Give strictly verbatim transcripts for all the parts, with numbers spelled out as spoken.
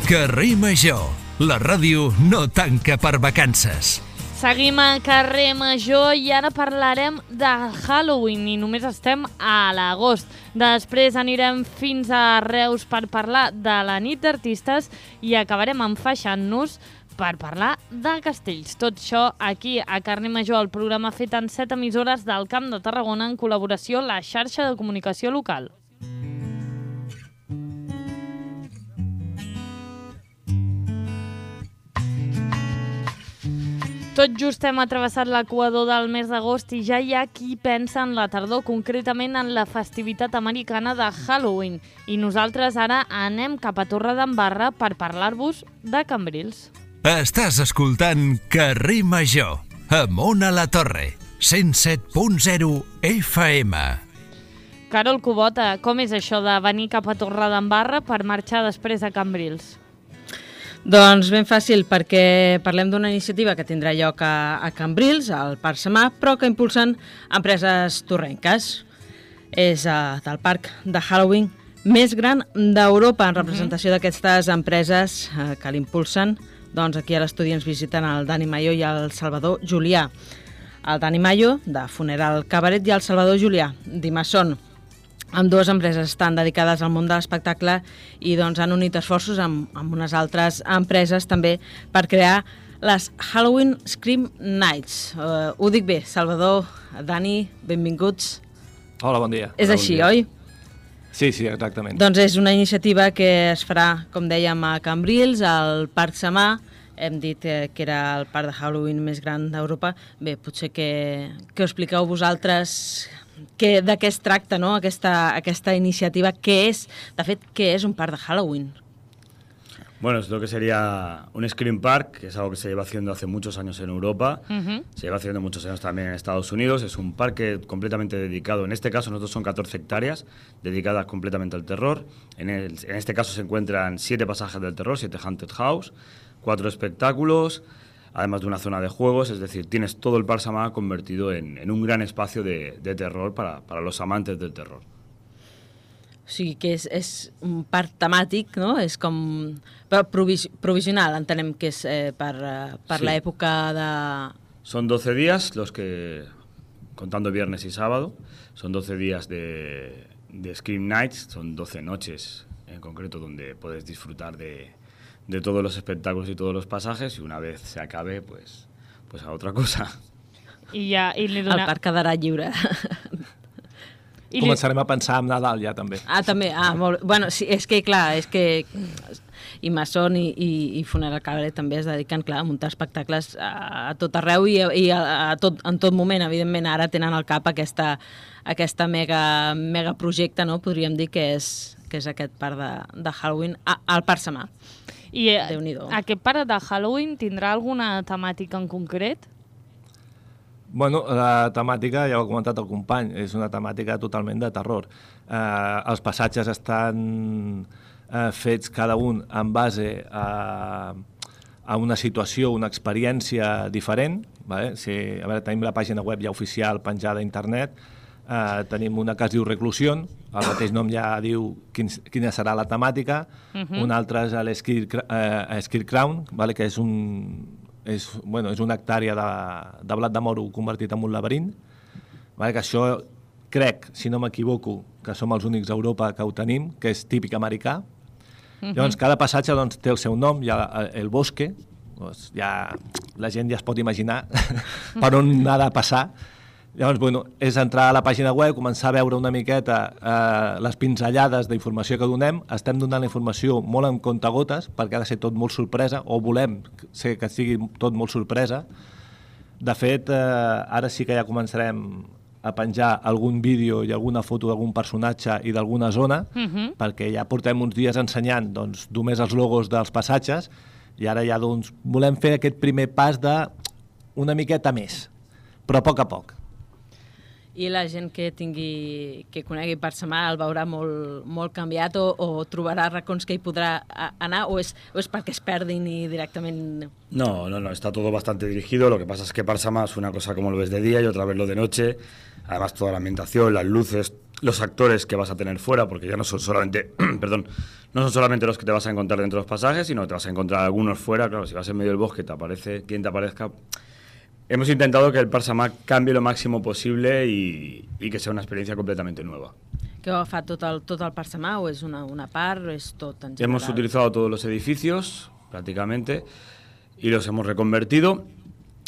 Carrer Major, la ràdio no tanca per vacances. Seguim a Carrer Major i ara parlarem de Halloween i només estem a l'agost. Després anirem fins a Reus per parlar de la nit d'artistes i acabarem enfaixant-nos per parlar de castells. Tot això aquí a Carrer Major, el programa fet en set emissores del Camp de Tarragona en col·laboració amb la xarxa de comunicació local. Tot just hem travessat l'equador del mes d'agost i ja hi ha qui pensa en la tardor, concretament en la festivitat americana de Halloween. I nosaltres ara anem cap a Torredembarra per parlar-vos de Cambrils. Estàs escoltant Carrer Major, amb Ona La Torre, cent set punt zero F M. Carol Cubota, com és això de venir cap a Torredembarra per marxar després a Cambrils? Doncs ben fàcil, perquè parlem d'una iniciativa que tindrà lloc a, a Cambrils, al Parc Samà, però que impulsen empreses torrenques. És uh, del parc de Halloween més gran d'Europa, en representació uh-huh. d'aquestes empreses uh, que l'impulsen. Doncs aquí a l'estudi ens visiten el Dani Mayo i el Salvador Julià. El Dani Mayo, de Funeral Cabaret, i el Salvador Julià, d'Imasson. Ambdues empreses estan dedicades al món de l'espectacle i doncs, han unit esforços amb, amb unes altres empreses també per crear les Halloween Scream Nights. Uh, ho dic bé, Salvador, Dani, benvinguts. Hola, bon dia. És Hola, així, bon oi? Sí, sí, exactament. Doncs és una iniciativa que es farà, com dèiem, a Cambrils, al Parc Samà. Hem dit eh, que era el parc de Halloween més gran d'Europa. Bé, potser que, que ho expliqueu vosaltres que, de què es tracta, no? aquesta, aquesta iniciativa. Què és, de fet, què és un parc de Halloween? Bueno, es lo que sería un Scream Park, que es algo que se lleva haciendo hace muchos años en Europa, uh-huh. se lleva haciendo muchos años también en Estados Unidos. Es un parque completamente dedicado, en este caso nosotros son catorce hectáreas, dedicadas completamente al terror. En, el, en este caso se encuentran siete pasajes del terror, siete Haunted House, cuatro espectáculos, además de una zona de juegos, es decir, tienes todo el Parc Samà convertido en, en un gran espacio de, de terror para, para los amantes del terror. O sigui que és, és un parc temàtic, no? És com però provis, provisional, entenem que és eh, per, per sí. l'època de... Son doce días los que, contando viernes y sábado, son doce días de, de Scream Nights, son doce noches en concreto donde puedes disfrutar de, de todos los espectáculos y todos los pasajes, y una vez se acabe, pues, pues a otra cosa. I ja, i li dona... El parc quedarà lliure. I Començarem li... a pensar en Nadal ja, també. Ah, també? Ah, molt... Bueno, sí, és que, clar, és que Imasson i, i, i Funeral Cabaret també es dediquen, clar, a muntar espectacles a, a tot arreu i, a, i a, a tot, en tot moment. Evidentment, ara tenen al cap aquesta, aquesta mega, mega projecte, no? Podríem dir que és, que és aquest parc de, de Halloween a, al Parc Samà. I aquest parc de Halloween tindrà alguna temàtica en concret? Bueno, la temàtica, ja ho ha comentat el company, és una temàtica totalment de terror. Eh, els passatges estan eh, fets cada un en base a, a una situació, una experiència diferent. Vale? Si, a veure, tenim la pàgina web ja oficial penjada a internet, eh, tenim una que es diu Reclusió, el mateix nom ja diu quin, quina serà la temàtica, uh-huh. una altra és l'Scare Crown, vale? Que és un... És, bueno, és una hectàrea de, de blat de moro convertit en un laberint, vale? Que això crec, si no m'equivoco, que som els únics a Europa que ho tenim, que és típic americà. Uh-huh. Llavors, cada passatge doncs, té el seu nom, hi ha el bosque, doncs, ja, la gent ja es pot imaginar per on ha de passar. Llavors, bueno, és entrar a la pàgina web, començar a veure una miqueta eh, les pinzellades d'informació que donem. Estem donant la informació molt en comptagotes, perquè ha de ser tot molt sorpresa, o volem ser que sigui tot molt sorpresa. De fet, eh, ara sí que ja començarem a penjar algun vídeo i alguna foto d'algun personatge i d'alguna zona, uh-huh. perquè ja portem uns dies ensenyant doncs, només els logos dels passatges, i ara ja doncs, volem fer aquest primer pas de una miqueta més, però a poc a poc. I la gent que tingui, que conegui Parc Samà el veurà molt, molt canviat o, o trobarà racons que hi podrà anar o és, o és perquè es perdin i directament... No, no, no, está todo bastante dirigido. Lo que pasa es que Parc Samà es una cosa como lo ves de día y otra vez lo de noche. Además toda la ambientación, las luces, los actores que vas a tener fuera, porque ya no son solamente, perdón, no son solamente los que te vas a encontrar dentro de los pasajes, sino que te vas a encontrar algunos fuera. Claro, si vas en medio del bosque, te aparece quien te aparezca. Hemos intentado que el Parc Samà canvi lo máximo possible i, i que sea una experiencia completamente nueva. ¿Qué va a hacer tot el, tot el Parc Samà o es una, una part o es tot en general? Hemos utilizado todos los edificios, prácticamente, y los hemos reconvertido,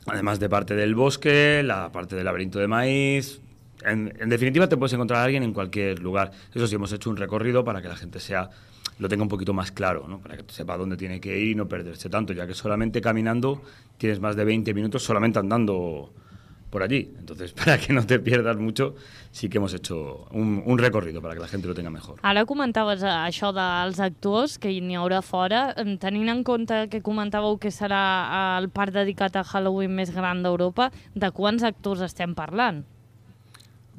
además de parte del bosque, la parte del laberinto de maíz. En, en definitiva, te puedes encontrar a alguien en cualquier lugar. Eso sí, hemos hecho un recorrido para que la gente sea, lo tenga un poquito más claro, ¿no? Para que sepa dónde tiene que ir y no perderse tanto, ya que solamente caminando tienes más de veinte minutos solamente andando por allí. Entonces, para que no te pierdas mucho, sí que hemos hecho un, un recorrido para que la gente lo tenga mejor. Ara comentaves això dels actors, que n'hi haurà fora. Tenint en compte que comentàveu que serà el parc dedicat a Halloween més gran d'Europa, de quants actors estem parlant?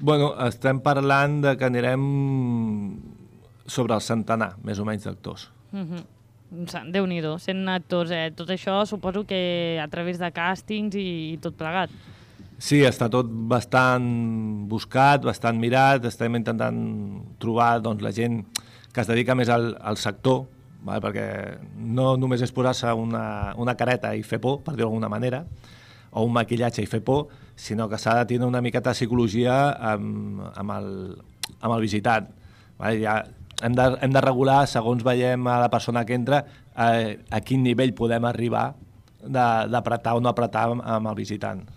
Bueno, estem parlant de que anirem sobre el centenar, més o menys, d'actors. Mm-hmm. Déu-n'hi-do, cent actors, eh? Tot això suposo que a través de càstings i, i tot plegat. Sí, està tot bastant buscat, bastant mirat, estem intentant trobar doncs, la gent que es dedica més al, al sector, vale? Perquè no només és posar-se una, una careta i fer por, per dir-ho d'alguna manera, o un maquillatge i fer por, sinó que s'ha de tenir una miqueta de psicologia amb, amb, el, amb el visitant. Vale? Ja hem, de, hem de regular, segons veiem a la persona que entra, a, a quin nivell podem arribar d'apretar o no apretar amb, amb el visitant.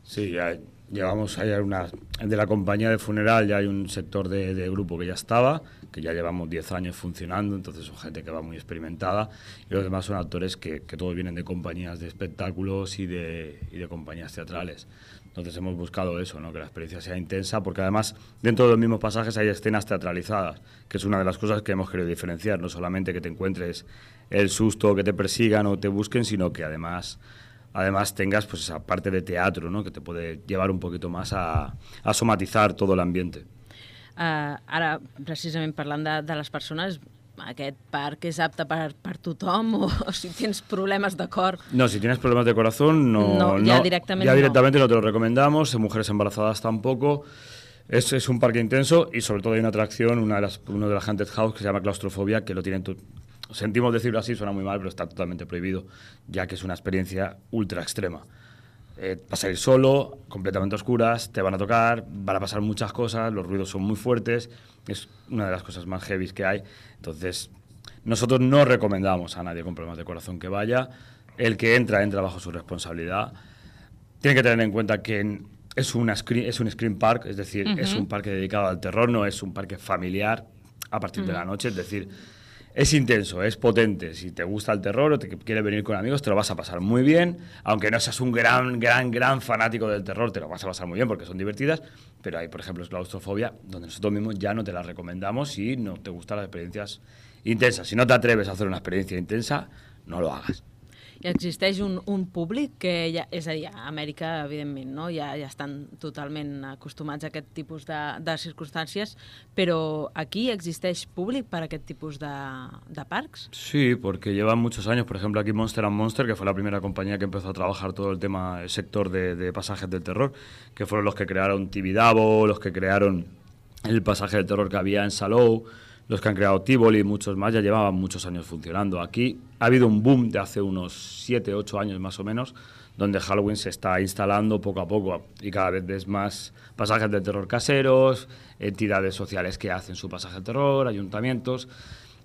Sí, ya llevamos, hay una, de la compañía de funeral ya hay un sector de, de grupo que ya estaba, que ya llevamos diez años funcionando, entonces son gente que va muy experimentada, y los demás son actores que, que todos vienen de compañías de espectáculos y de, y de compañías teatrales. Entonces hemos buscado eso, ¿no? Que la experiencia sea intensa, porque además dentro de los mismos pasajes hay escenas teatralizadas, que es una de las cosas que hemos querido diferenciar, no solamente que te encuentres el susto, que te persigan o te busquen, sino que además... además tengas pues esa parte de teatro, ¿no? Que te puede llevar un poquito más a, a somatizar todo el ambiente. Uh, ara, precisament parlant de, de les persones, aquest parc és apte per, per tothom o, o si tens problemes de cor? No, si tienes problemas de corazón, no, no, ya no, directamente, ya directamente no. no te lo recomendamos, en mujeres embarazadas tampoco. Es, es un parque intenso y sobre todo hay una atracción, una de las, uno de las Haunted House que se llama claustrofobia, que lo tienen tu, sentimos decirlo así, suena muy mal, pero está totalmente prohibido, ya que es una experiencia ultra extrema. Eh, vas a ir solo, completamente oscuras, te van a tocar, van a pasar muchas cosas, los ruidos son muy fuertes, es una de las cosas más heavy que hay. Entonces, nosotros no recomendamos a nadie con problemas de corazón que vaya. El que entra, entra bajo su responsabilidad. Tiene que tener en cuenta que es, una screen, es un screen park, es decir, uh-huh. es un parque dedicado al terror, no es un parque familiar a partir uh-huh. de la noche, es decir... Es intenso, es potente. Si te gusta el terror o te quieres venir con amigos, te lo vas a pasar muy bien. Aunque no seas un gran, gran, gran fanático del terror, te lo vas a pasar muy bien porque son divertidas. Pero hay, por ejemplo, claustrofobia, donde nosotros mismos ya no te las recomendamos si no te gustan las experiencias intensas. Si no te atreves a hacer una experiencia intensa, no lo hagas. I existeix un, un públic que, ja, és a dir, a Amèrica, evidentment, no? ja, ja estan totalment acostumats a aquest tipus de, de circumstàncies, però aquí existeix públic per a aquest tipus de, de parcs? Sí, porque llevan muchos años, por ejemplo, aquí Monster and Monster, que fue la primera compañía que empezó a trabajar todo el tema, el sector de, de pasajes del terror, que fueron los que crearon Tibidabo, los que crearon el pasaje del terror que había en Salou, los que han creado Tivoli y muchos más, ya llevaban muchos años funcionando. Aquí ha habido un boom de hace unos siete, ocho años más o menos, donde Halloween se está instalando poco a poco y cada vez ves más pasajes de terror caseros, entidades sociales que hacen su pasaje de terror, ayuntamientos.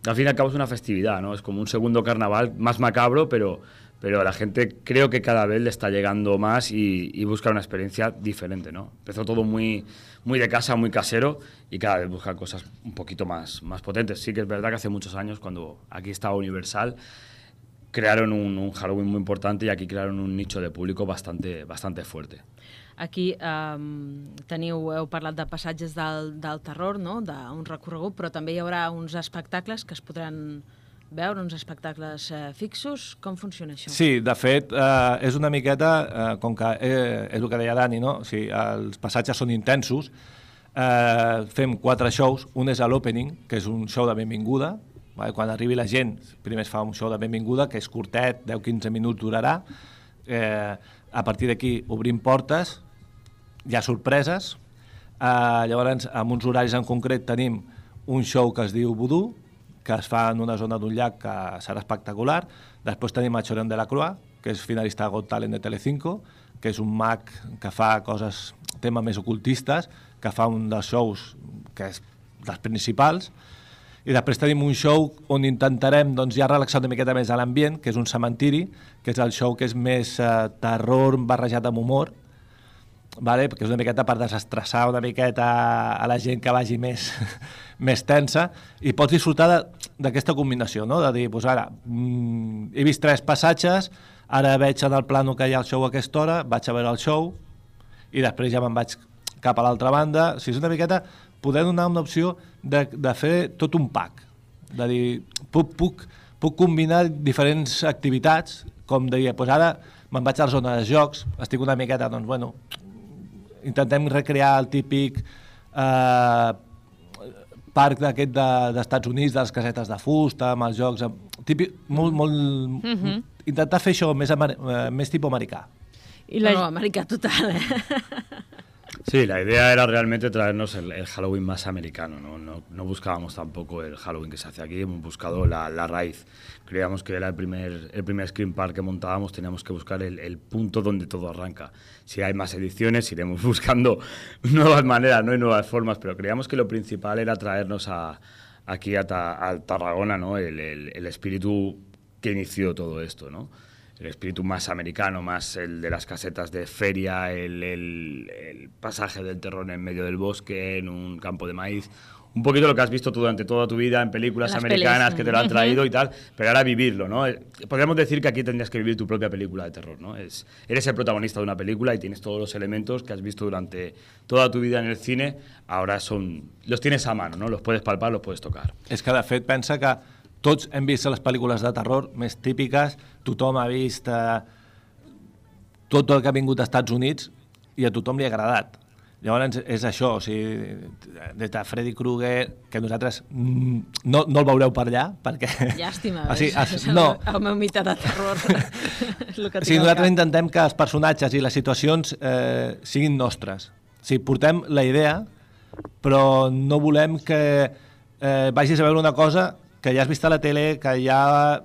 Al fin y al cabo es una festividad, ¿no? Es como un segundo carnaval más macabro, pero, pero a la gente creo que cada vez le está llegando más y, y busca una experiencia diferente, ¿no? Empezó todo muy... muy de casa, muy casero, y cada vez buscan cosas un poquito más, más potentes. Sí que es verdad que hace muchos años, cuando aquí estaba Universal, crearon un, un Halloween muy importante y aquí crearon un nicho de público bastante, bastante fuerte. Aquí um, teniu, heu parlat de passatges del, del terror, no? d'un recorregut, però també hi haurà uns espectacles que es podran veure, uns espectacles eh, fixos. Com funciona això? Sí, de fet, eh, és una miqueta, eh, com que eh, és el que deia Dani, no? O sigui, els passatges són intensos, eh, fem quatre shows, un és a l'opening, que és un show de benvinguda, vale? Quan arribi la gent, primer es fa un show de benvinguda, que és curtet, deu a quinze minuts durarà, eh, a partir d'aquí obrim portes, hi ha sorpreses, Uh, llavors, amb uns horaris en concret tenim un show que es diu Voodoo, que es fa en una zona d'un llac que serà espectacular. Després tenim a Chorón de la Croix, que és finalista de Got Talent de Telecinco, que és un mag que fa coses, temes més ocultistes, que fa un dels shows que és dels principals. I després tenim un show on intentarem doncs, ja relaxar una miqueta més a l'ambient, que és un cementiri, que és el show que és més eh, terror barrejat amb humor, vale? Perquè és una miqueta per desestressar una miqueta a la gent que vagi més, més tensa, i pots disfrutar d'aquesta combinació, no? De dir, doncs ara, mm, he vist tres passatges, ara veig en el plano que hi ha el show a aquesta hora, vaig a veure el show, i després ja me'n vaig cap a l'altra banda. O sigui, és una miqueta poder donar una opció de, de fer tot un pack, de dir, puc, puc, puc combinar diferents activitats, com deia, doncs ara me'n vaig a la zona de jocs, estic una miqueta, doncs, bueno, intentem recrear el típic eh, parc d'aquest de, d'Estats Units, de les casetes de fusta, amb els jocs, típic, molt, molt... Mm-hmm. Intentar fer això més, amer, més tipus americà. I la... No, americà total, eh? Sí, la idea era realmente traernos el, el Halloween más americano, ¿no? No, no buscábamos tampoco el Halloween que se hace aquí, hemos buscado la, la raíz. Creíamos que era el primer, el primer Scream Park que montábamos, teníamos que buscar el, el punto donde todo arranca. Si hay más ediciones, iremos buscando nuevas maneras, ¿no? Y nuevas formas, pero creíamos que lo principal era traernos a, aquí a, ta, a Tarragona, ¿no? El, el, el espíritu que inició todo esto, ¿no? El espíritu más americano, más el de las casetas de feria, el, el, el pasaje del terror en medio del bosque, en un campo de maíz. Un poquito lo que has visto tú durante toda tu vida en películas las americanas pelis, que te lo han traído uh-huh. y tal, pero ahora vivirlo, ¿no? Podríamos decir que aquí tendrías que vivir tu propia película de terror, ¿no? Es, eres el protagonista de una película y tienes todos los elementos que has visto durante toda tu vida en el cine, ahora son los tienes a mano, ¿no? Los puedes palpar, los puedes tocar. És que, de fet, pensa que tots hem vist les pel·lícules de terror més típiques, tothom ha vist eh, tot el que ha vingut als Estats Units i a tothom li ha agradat. Llavors és això, o sigui, des de Freddy Krueger, que nosaltres mm, no, no el veureu per allà, perquè... Llàstima, o sigui, és, es, és no. el, el meu mite de terror. És el que o sigui, nosaltres intentem que els personatges i les situacions eh, siguin nostres. O sigui, portem la idea, però no volem que eh, vagis a veure una cosa que ja has vist a la tele, que ja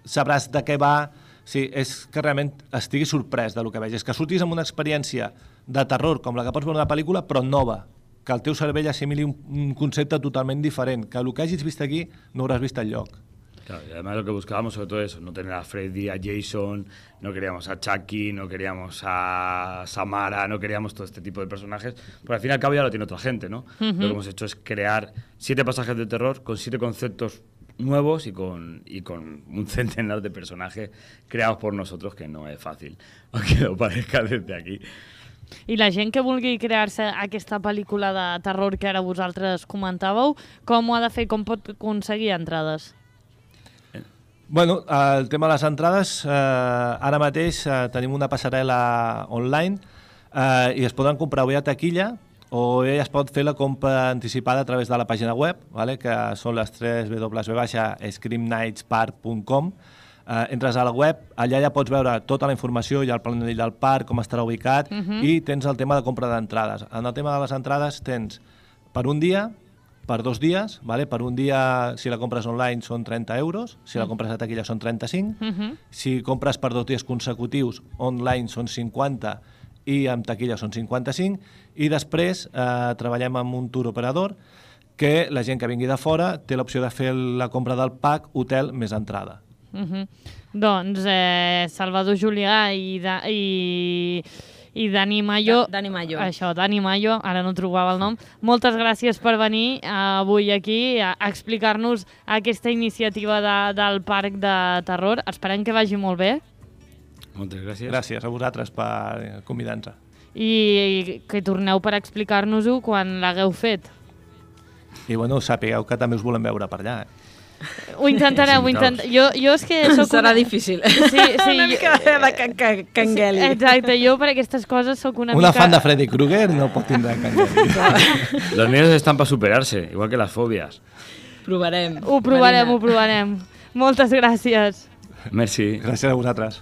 sabràs de què va. O sigui, és que realment estiguis sorprès del que vegis, que surtis amb una experiència de terror com la que pots veure una pel·lícula, però nova, que el teu cervell assimili un, un concepte totalment diferent, que el que hagis vist aquí no hauràs vist enlloc. Claro, y además lo que buscábamos sobre todo eso, no tener a Freddy, a Jason, no queríamos a Chucky, no queríamos a Samara, no queríamos todo este tipo de personajes, porque al fin y al cabo ya lo tiene otra gente, ¿no? Uh-huh. Lo que hemos hecho es crear siete pasajes de terror con siete conceptos nuevos y con, y con un centenar de personajes creados por nosotros, que no es fácil, aunque lo parezca desde aquí. I la gent que vulgui crear-se aquesta pel·lícula de terror que ara vosaltres comentàveu, com ho ha de fer, com pot aconseguir entrades? Bueno, el tema de les entrades, eh, ara mateix eh, tenim una passarel·la online eh, i es poden comprar bé a taquilla o bé es pot fer la compra anticipada a través de la pàgina web, vale? Que són les tres w w w punt scream nights park punt com. Eh, entres a la web, allà ja pots veure tota la informació, hi ha el planell del parc, com estarà ubicat, uh-huh. i tens el tema de compra d'entrades. En el tema de les entrades tens per un dia, per dos dies, vale? Per un dia, si la compres online, són trenta euros, si la compres a taquilla són trenta-cinc, uh-huh. si compres per dos dies consecutius, online són cinquanta i amb taquilla són cinquanta-cinc, i després eh, treballem amb un tour operador que la gent que vingui de fora té l'opció de fer la compra del pack hotel més entrada. Uh-huh. Doncs eh, Salvador Julià i... De, i... i Dani Mayo, Dani Mayo. Això, Dani Mayo, ara no trobava el nom. Moltes gràcies per venir avui aquí a explicar-nos aquesta iniciativa de, del Parc de Terror. Esperem que vagi molt bé. Moltes gràcies. Gràcies a vosaltres per convidar-nos. I, I que torneu per explicar-nos-ho quan l'hagueu fet. I bueno, sapigueu que també us volem veure per allà, eh? Ho intentareu, ho intent... jo, jo és que soc serà una... difícil. Sí, sí, una mica de can, can, cangueli. Sí, exacte, jo per aquestes coses soc una, una mica... Una fan de Freddy Krueger no pot tindre cangueli. Los miedos están para superarse, igual que las fobias. Provarem. Ho provarem, Marina. ho provarem. Moltes gràcies. Merci. Gràcies a vosaltres.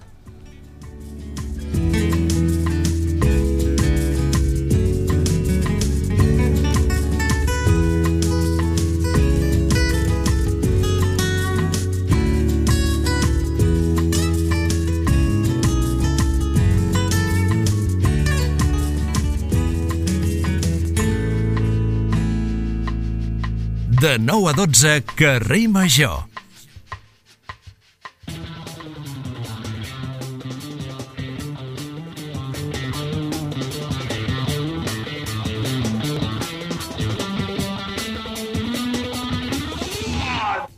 De nou a dotze, Carrer Major.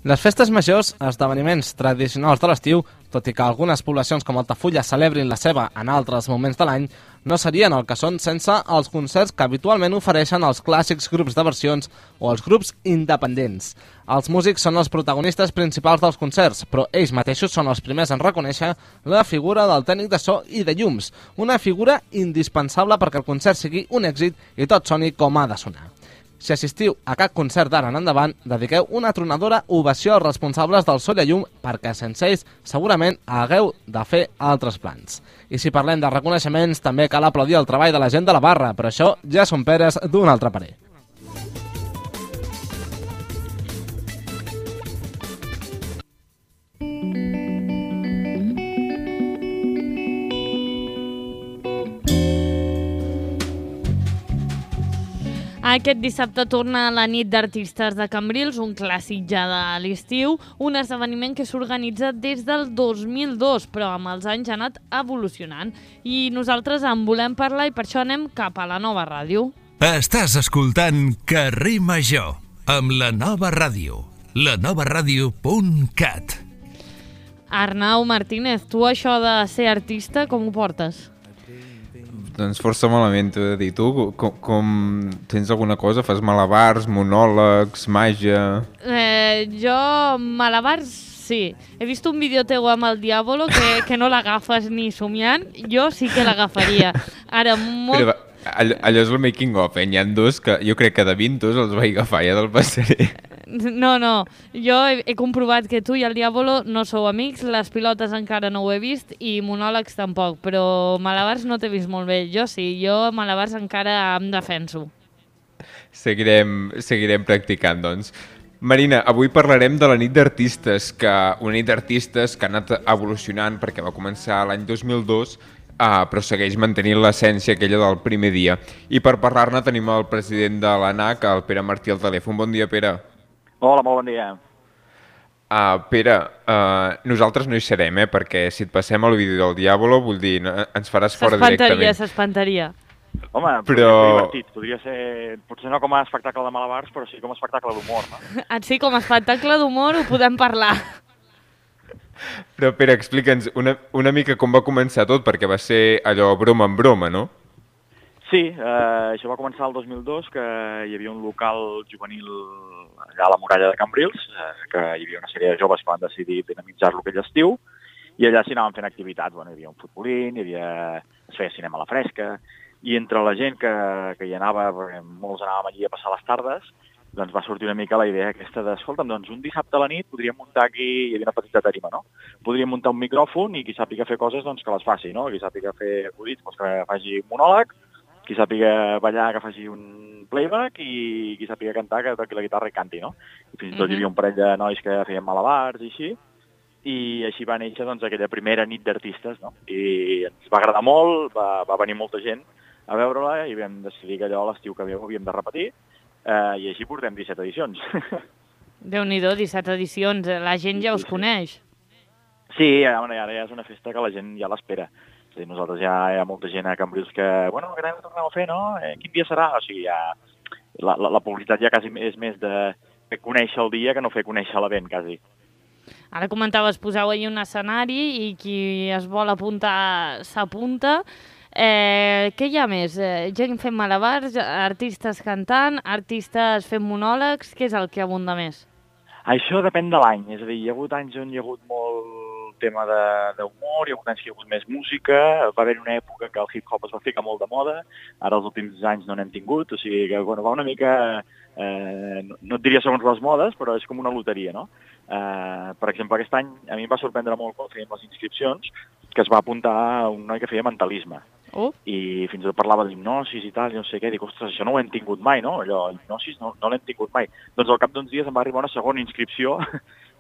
Les festes majors, esdeveniments tradicionals de l'estiu, tot i que algunes poblacions com Altafulla celebrin la seva en altres moments de l'any, no serien el que són sense els concerts que habitualment ofereixen els clàssics grups de versions o els grups independents. Els músics són els protagonistes principals dels concerts, però ells mateixos són els primers en reconèixer la figura del tècnic de so i de llums, una figura indispensable perquè el concert sigui un èxit i tot soni com ha de sonar. Si assistiu a cap concert d'ara en endavant, dediqueu una tronadora ovació als responsables del so i llum perquè sense ells segurament hagueu de fer altres plans. I si parlem de reconeixements, també cal aplaudir el treball de la gent de la barra, però això ja són peres d'un altre parer. Aquest dissabte torna la nit d'artistes de Cambrils, un clàssic ja de l'estiu, un esdeveniment que s'organitza des del dos mil dos, però amb els anys ha anat evolucionant. I nosaltres en volem parlar i per això anem cap a la Nova Ràdio. Estàs escoltant Carrer Major, amb la Nova Ràdio, la nova ràdio punt cat. Arnau Martínez, tu això de ser artista, com ho portes? Doncs força malament, t'ho he de dir. Tu com, com tens alguna cosa? Fas malabars, monòlegs, màgia... Eh, jo, malabars, sí. He vist un vídeo teu amb el Diàbolo que, que no l'agafes ni somiant. Jo sí que l'agafaria. Ara, molt... Però allò, allò és el making of, eh? N'hi ha dos que jo crec que de vint dos els vaig agafar, ja te'l passaré. No, no. Jo he, he comprovat que tu i el Diàbolo no sou amics, les pilotes encara no ho he vist i monòlegs tampoc, però malabars no t'he vist molt bé. Jo sí, jo malabars encara em defenso. Seguirem, seguirem practicant, doncs. Marina, avui parlarem de la nit d'artistes, que una nit d'artistes que ha anat evolucionant perquè va començar l'any dos mil dos, Uh, però segueix mantenint l'essència aquella del primer dia. I per parlar-ne tenim el president de l'ANAC, el Pere Martí, al telèfon. Bon dia, Pere. Hola, molt bon dia. Uh, Pere, uh, nosaltres no hi serem, eh, perquè si et passem el vídeo del Diàbolo, vull dir, no, ens faràs fora directament. S'espantaria, s'espantaria. Home, però... podria ser divertit. Podria ser, potser no com a espectacle de malabars, però sí com a espectacle d'humor, no? Sí, com a espectacle d'humor ho podem parlar. Però, Pere, explica'ns una, una mica com va començar tot, perquè va ser allò broma en broma, no? Sí, eh, això va començar el dos mil dos, que hi havia un local juvenil allà a la muralla de Cambrils, eh, que hi havia una sèrie de joves que van decidir dinamitzar-lo aquell estiu, i allà s'hi anaven fent activitats. Bueno, hi havia un futbolín, hi havia... es feia cinema a la fresca, i entre la gent que, que hi anava, perquè molts anàvem allí a passar les tardes, doncs va sortir una mica la idea aquesta de, escolta'm, doncs un dissabte a la nit podríem muntar aquí, hi havia una petita tarima, no? Podríem muntar un micròfon i qui sàpiga fer coses, doncs que les faci, no? Qui sàpiga fer acudits, doncs que faci un monòleg, qui sàpiga ballar, que faci un playback i qui sàpiga cantar, que toqui la guitarra i canti, no? I fins i tot hi havia un parell de nois que feien malabars i així, i així va néixer doncs aquella primera nit d'artistes, no? I ens va agradar molt, va, va venir molta gent a veure-la i vam decidir que allò a l'estiu que ve ho havíem de repetir. Uh, I així portem disset edicions. Déu-n'hi-do, disset edicions. La gent ja us sí, sí. coneix. Sí, ara ja és una festa que la gent ja l'espera. O sigui, nosaltres ja hi ha molta gent a Cambrils que, bueno, que anem a tornar a fer, no? Eh, quin dia serà? O sigui, ja... La, la, la publicitat ja quasi és més de fer conèixer el dia que no fer conèixer l'event, quasi. Ara comentaves, poseu ahir un escenari i qui es vol apuntar s'apunta. Eh, què hi ha més? Eh, gent fent malabars, artistes cantant, artistes fent monòlegs, què és el que abunda més? Això depèn de l'any, és a dir, hi ha hagut anys on hi ha hagut molt tema d'humor, hi ha hagut anys que hi ha hagut més música, va haver una època que el hip-hop es va ficar molt de moda, ara els últims anys no n'hem tingut, o sigui que bueno, va una mica, eh, no, no et diria segons les modes, però és com una loteria, no? Eh, per exemple, aquest any a mi em va sorprendre molt quan fèiem les inscripcions que es va apuntar un noi que feia mentalisme. Oh. I fins i tot parlava d'hipnosis i tal, i no sé què, dic, ostres, això no ho hem tingut mai, no? Allò, hipnosis no, no l'hem tingut mai. Doncs al cap d'uns dies em va arribar una segona inscripció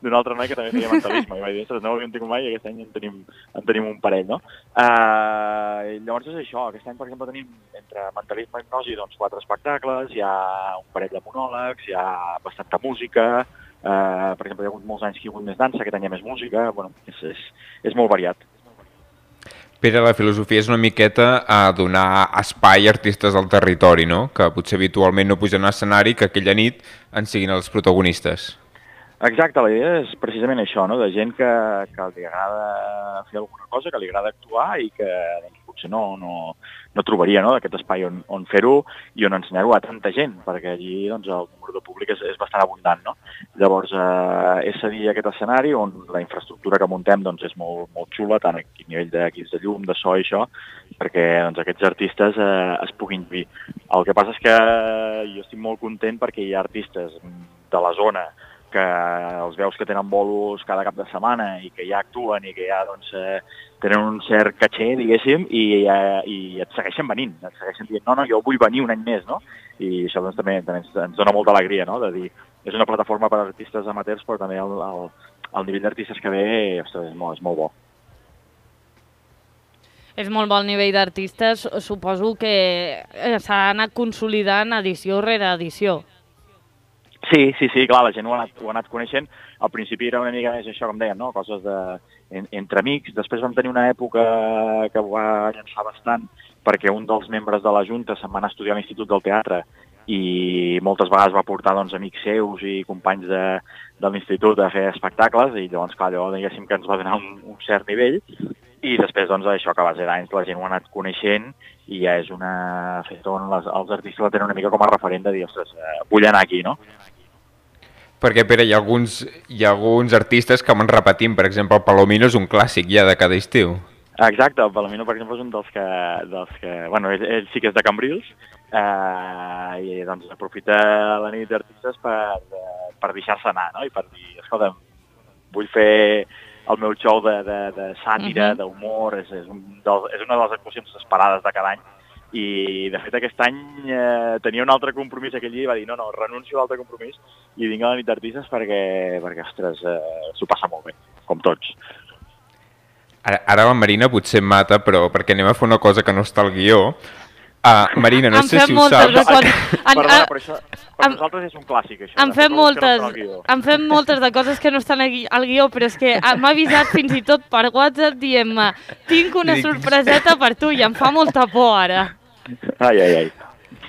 d'un altre noi que també feia mentalisme. I vaig dir, ostres, no ho havíem tingut mai i aquest any en tenim, en tenim un parell, no? Uh, llavors és això, aquest any, per exemple, tenim entre mentalisme i hipnosi doncs, quatre espectacles, hi ha un parell de monòlegs, hi ha bastanta música, uh, per exemple, hi ha hagut molts anys que hi ha hagut més dansa, aquest any hi ha més música, bueno, és, és, és molt variat. Pere, la filosofia és una miqueta a donar espai a artistes del territori, no? Que potser habitualment no pugen a l'escenari, que aquella nit en siguin els protagonistes. Exacte, la idea és precisament això, no? De gent que, que li agrada fer alguna cosa, que li agrada actuar i que doncs, potser no, no, no trobaria, no? Aquest espai on, on fer-ho i on ensenyar-ho a tanta gent, perquè allí doncs, el número de públic és, és bastant abundant, no? Llavors, eh, és cedir aquest escenari on la infraestructura que muntem doncs, és molt, molt xula, tant a nivell d'equips de llum, de so i això, perquè doncs, aquests artistes eh, es puguin dir. El que passa és que jo estic molt content perquè hi ha artistes de la zona que els veus que tenen bolos cada cap de setmana i que ja actuen i que ja doncs, eh, tenen un cert caché, diguéssim, i, eh, i et segueixen venint, et segueixen dient, no, no, jo vull venir un any més, no? I això doncs, també, també ens, ens dona molta alegria, no? De dir, és una plataforma per a artistes amateurs, però també el, el, el nivell d'artistes que ve ostres, és, molt, és molt bo. És molt bo el nivell d'artistes, suposo que s'ha anat consolidant edició rere edició. Sí, sí, sí, clar, la gent ho ha, anat, ho ha anat coneixent. Al principi era una mica més això, com deien, no? Coses de, en, entre amics. Després vam tenir una època que ho va llançar bastant perquè un dels membres de la Junta se'n va anar a estudiar a l'Institut del Teatre i moltes vegades va portar doncs, amics seus i companys de, de l'institut a fer espectacles i llavors, clar, allò diguéssim que ens va donar un, un cert nivell i després, doncs, això que a base d'anys la gent ho ha anat coneixent i ja és una festa on les, els artistes la tenen una mica com a referent de dir, ostres, eh, vull anar aquí, no? Perquè, Pere, hi ha alguns, hi ha alguns artistes que van repetint, per exemple, el Palomino és un clàssic ja de cada estiu. Exacte, el Palomino, per exemple, és un dels que... Dels que bueno, ell, ell sí que és de Cambrils eh, i doncs aprofita la nit d'artistes per, per deixar-se anar, no? I per dir, escolta, vull fer el meu show de, de, de sàtira, uh-huh. d'humor, és, és, un del, és una de les actuacions esperades de cada any. I, de fet, aquest any eh, tenia un altre compromís aquell dia i va dir, no, no, renuncio a l'altre compromís i vinc a la nit d'artistes perquè, perquè ostres, eh, s'ho passa molt bé, com tots. Ara, ara la Marina potser em mata, però perquè anem a fer una cosa que no està al guió. Uh, Marina, no sé si ho saps. Quan... Perdona, però això per nosaltres és un clàssic, això. Em fem moltes, em fem moltes de coses que no estan al guió, però és que m'ha avisat fins i tot per WhatsApp dient-me tinc una sorpreseta per tu i em fa molta por ara. Ai, ai, ai.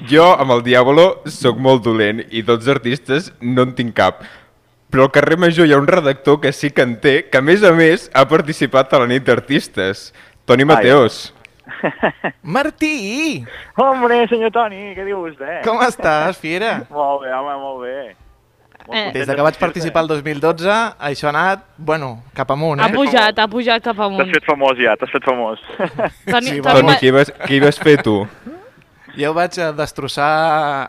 Jo, amb el Diàbolo, sóc molt dolent i tots artistes no en tinc cap. Però al carrer Major hi ha un redactor que sí que en té, que a més a més ha participat a la nit d'artistes. Toni Mateos. Martí! Hombre, senyor Toni, què diu vostè? Com estàs, fiera? Molt bé, home, molt bé. Eh. Des que vaig participar el dos mil dotze, això ha anat, bueno, cap amunt, eh? Ha pujat, ha pujat cap amunt. T'has fet famós ja, t'has fet famós. Toni, sí, Toni, qui vas, qui vas fer tu? Jo vaig destrossar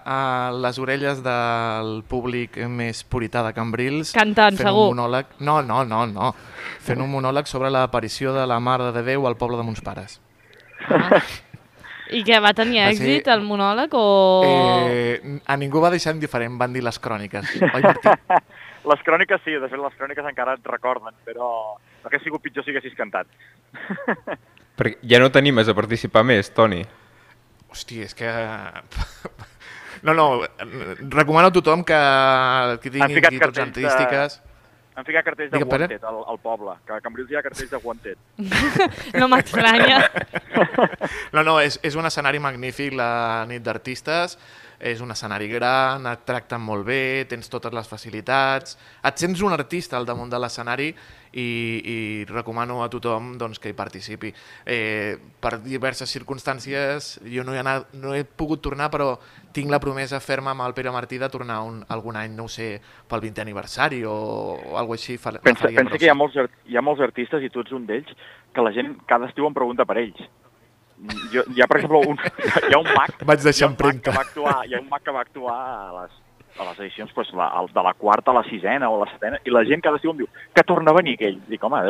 uh, les orelles del públic més purità de Cambrils. Cantant, fent segur. Un monòleg... No, no, no, no. Fent un monòleg sobre l'aparició de la Mare de Déu al poble de Mons Pares. Ah. I què, va tenir èxit sí. el monòleg o...? Eh, a ningú va deixar indiferent, van dir les cròniques. Oi, Martí? Les cròniques sí, de fet les cròniques encara et recorden, però hauria sigut pitjor si haguessis cantat. Perquè ja no t'animes a participar més, Toni? Hòstia, és que... No, no, recomano a tothom que, que tingui inquietuds artístiques... De... Han ficat cartells de Wanted al, al poble, que a Cambrils hi ha cartells de Wanted. No m'estranya. No, no, és, és un escenari magnífic, la nit d'artistes, és un escenari gran, et tracten molt bé, tens totes les facilitats, et sents un artista al damunt de l'escenari i, i recomano a tothom doncs, que hi participi. Eh, per diverses circumstàncies jo no he, anat, no he pogut tornar, però tinc la promesa ferma amb el Pere Martí de tornar un, algun any, no ho sé, pel vintè aniversari o, o alguna cosa així. Fa, pensa pensa que hi ha, molts, hi ha molts artistes, i tu ets un d'ells, que la gent cada estiu em pregunta per ells. Jo, hi ha, per exemple, un, hi ha un mag, Vaig deixar empremta. Que va actuar, hi ha un mag que va actuar a les, a les edicions pues, la, de la quarta a la sisena o a la setena, i la gent cada estiu em diu que torna a venir aquell. Dic, home,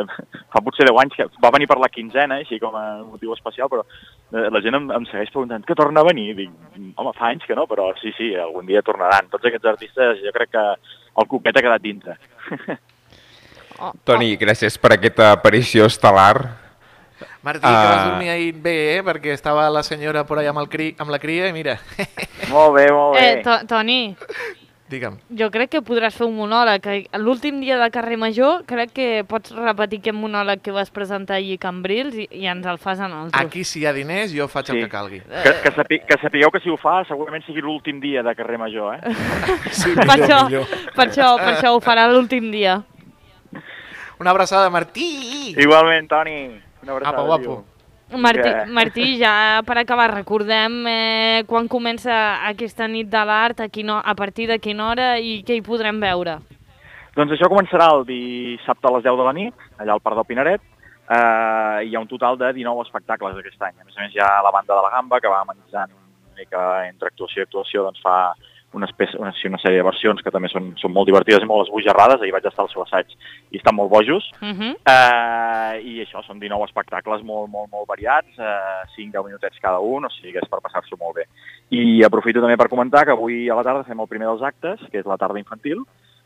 fa potser deu anys que va venir per la quinzena, així com a motiu especial, però la gent em, em segueix preguntant que torna a venir. Dic, home, fa anys que no, però sí, sí, algun dia tornaran. Tots aquests artistes, jo crec que el cuquet ha quedat dintre. Oh, Toni, gràcies per aquesta aparició estel·lar. Martí, que vas dormir ahir bé, eh? Perquè estava la senyora por allà amb, el cri, amb la cria i mira. Molt bé, molt bé. Eh, to Toni, Digue'm. jo crec que podràs fer un monòleg. L'últim dia de Carrer Major crec que pots repetir aquest monòleg que vas presentar ahir a Cambrils i, i ens el fas a nosaltres. Aquí, si hi ha diners, jo faig el Sí. que calgui. Que, que, sapi, que sapigueu que si ho fa segurament sigui l'últim dia de Carrer Major, eh? Sí, Per això, per això, per això ho farà l'últim dia. Una abraçada, Martí! Igualment, Toni. Una abraçada. Apa, guapo. tio. Martí, Que- Martí, ja per acabar, recordem eh, quan comença aquesta nit de l'art, a, quina- a partir de quina hora i què hi podrem veure. Doncs això començarà el dissabte a les deu de la nit, allà al Parc del Pinaret. Eh, hi ha un total de dinou espectacles aquest any. A més a més, hi ha la banda de la Gamba, que va amenitzant una mica entre actuació i actuació, doncs fa una, espècie, una, una sèrie de versions que també són, són molt divertides i molt esbojarrades. Ahir vaig estar al seu assaig i estan molt bojos. Uh -huh. Eh, I això, són dinou espectacles molt, molt, molt variats, eh, cinc a deu minutets cada un, o sigui que és per passar-s'ho molt bé. I aprofito també per comentar que avui a la tarda fem el primer dels actes, que és la tarda infantil.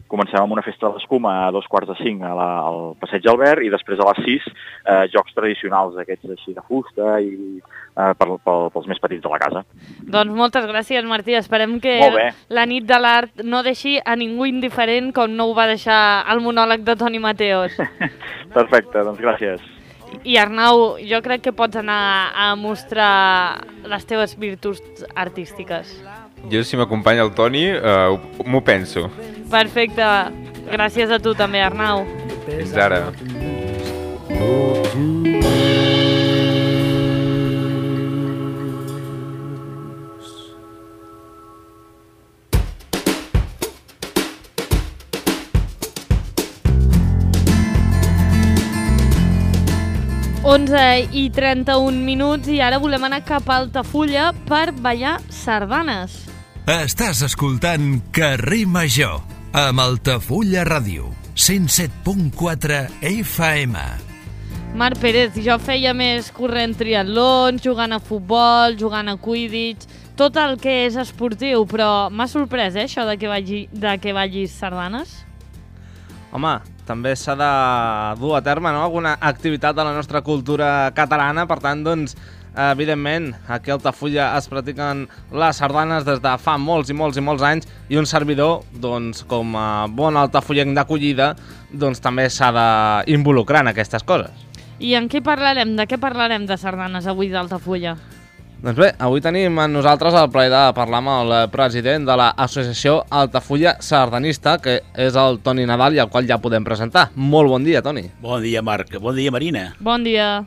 Comencem amb una festa de l'escuma a dos quarts de cinc a la, al Passeig Albert i després a les sis eh, jocs tradicionals aquests així de fusta i eh, per, per, pels més petits de la casa. Doncs moltes gràcies, Martí. Esperem que Molt bé. la nit de l'art no deixi a ningú indiferent com no ho va deixar el monòleg de Toni Mateos. Perfecte, doncs gràcies. I Arnau, jo crec que pots anar a mostrar les teves virtuts artístiques. Jo, si m'acompanya el Toni, uh, m'ho penso. Perfecte. Gràcies a tu també, Arnau. Fins ara. onze i trenta-un minuts i ara volem anar cap a Altafulla per ballar sardanes. Estàs escoltant Carrer Major amb Altafulla Ràdio, cent set punt quatre F M. Marc Pérez, jo feia més corrent triatlons, jugant a futbol, jugant a quidditch, tot el que és esportiu, però m'ha sorprès, eh, això de que, balli, de que ballis sardanes. Home, també s'ha de dur a terme, no?, alguna activitat de la nostra cultura catalana. Per tant, doncs, evidentment, aquí a Altafulla es practiquen les sardanes des de fa molts i molts i molts anys i un servidor, doncs, com a bon altafullenc d'acollida, doncs també s'ha d'involucrar en aquestes coses. I en què parlarem? De què parlarem de sardanes avui d'Altafulla? Doncs bé, avui tenim amb nosaltres el plaer de parlar amb el president de l'Associació Altafulla Sardanista, que és el Toni Nadal, i al qual ja podem presentar. Molt bon dia, Toni. Bon dia, Marc. Bon dia, Marina. Bon dia.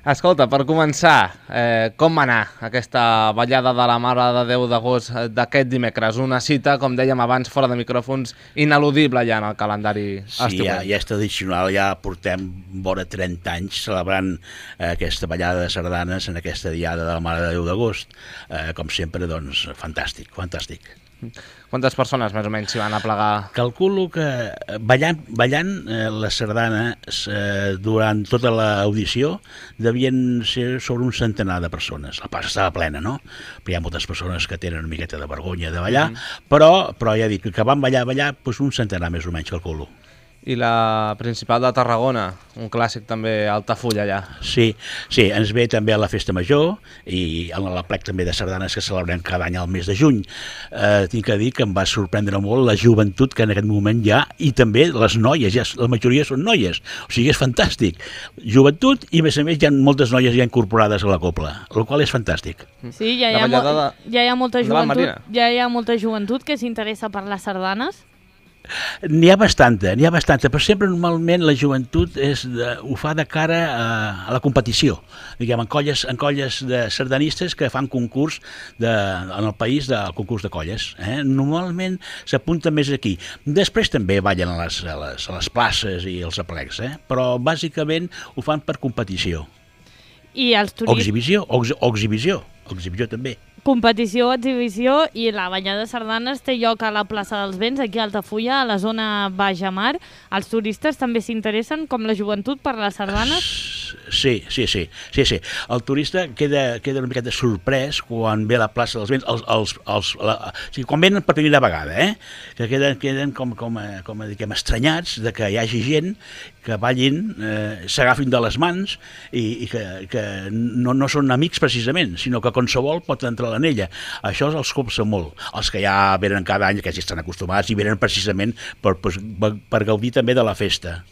Escolta, per començar, eh, com va anar aquesta ballada de la Mare de Déu d'agost d'aquest dimecres? Una cita, com dèiem abans, fora de micròfons, ineludible ja en el calendari Sí, ja, ja és tradicional, ja portem vora trenta anys celebrant eh, aquesta ballada de sardanes en aquesta diada de la Mare de Déu d'agost. Eh, com sempre, doncs, fantàstic, fantàstic. Quantes persones més o menys s'hi van aplegar? Calculo que ballant, ballant eh, les sardanes eh, durant tota l'audició devien ser sobre un centenar de persones. La plaça estava plena, no? Però hi ha moltes persones que tenen una miqueta de vergonya de ballar, mm. però, però ja dic que van ballar, ballar, doncs un centenar més o menys, calculo. I la principal de Tarragona, un clàssic també a Altafulla allà. Sí, sí, ens ve també a la Festa Major i a la plec també de sardanes que celebrem cada any al mes de juny. Eh, tinc que dir que em va sorprendre molt la joventut que en aquest moment hi ha i també les noies, ja, la majoria són noies, o sigui, és fantàstic. Joventut i, a més a més, hi ha moltes noies ja incorporades a la copla, el qual és fantàstic. Sí, ja hi ha, mo de... ja hi ha molta Endavant, joventut, Marina. ja hi ha molta joventut que s'interessa per les sardanes. N'hi ha bastanta, n'hi ha bastanta, però sempre normalment la joventut és de, ho fa de cara a, a la competició, diguem, en colles, en colles de sardanistes que fan concurs de, en el país del concurs de colles. Eh? Normalment s'apunta més aquí. Després també ballen a les, a les, a les places i els aplecs, eh? Però bàsicament ho fan per competició. I els O turistes... exhibició, o, ex, o exhibició, o exhibició també. Competició, exhibició i la ballada de sardanes té lloc a la plaça dels Vents, aquí a Altafulla, a la zona Baix a Mar. Els turistes també s'interessen, com la joventut, per les sardanes? sí, sí, sí, sí, sí. El turista queda, queda una miqueta sorprès quan ve a la plaça dels Vents, els, els, els, la, o sigui, quan venen per primera vegada, eh? que queden, queden com, com, a, com a, diguem, estranyats de que hi hagi gent que ballin, eh, s'agafin de les mans i, i que, que no, no són amics precisament, sinó que qualsevol pot entrar a l'anella. Això els copsa molt. Els que ja venen cada any, que ja estan acostumats i venen precisament per, per, per gaudir també de la festa.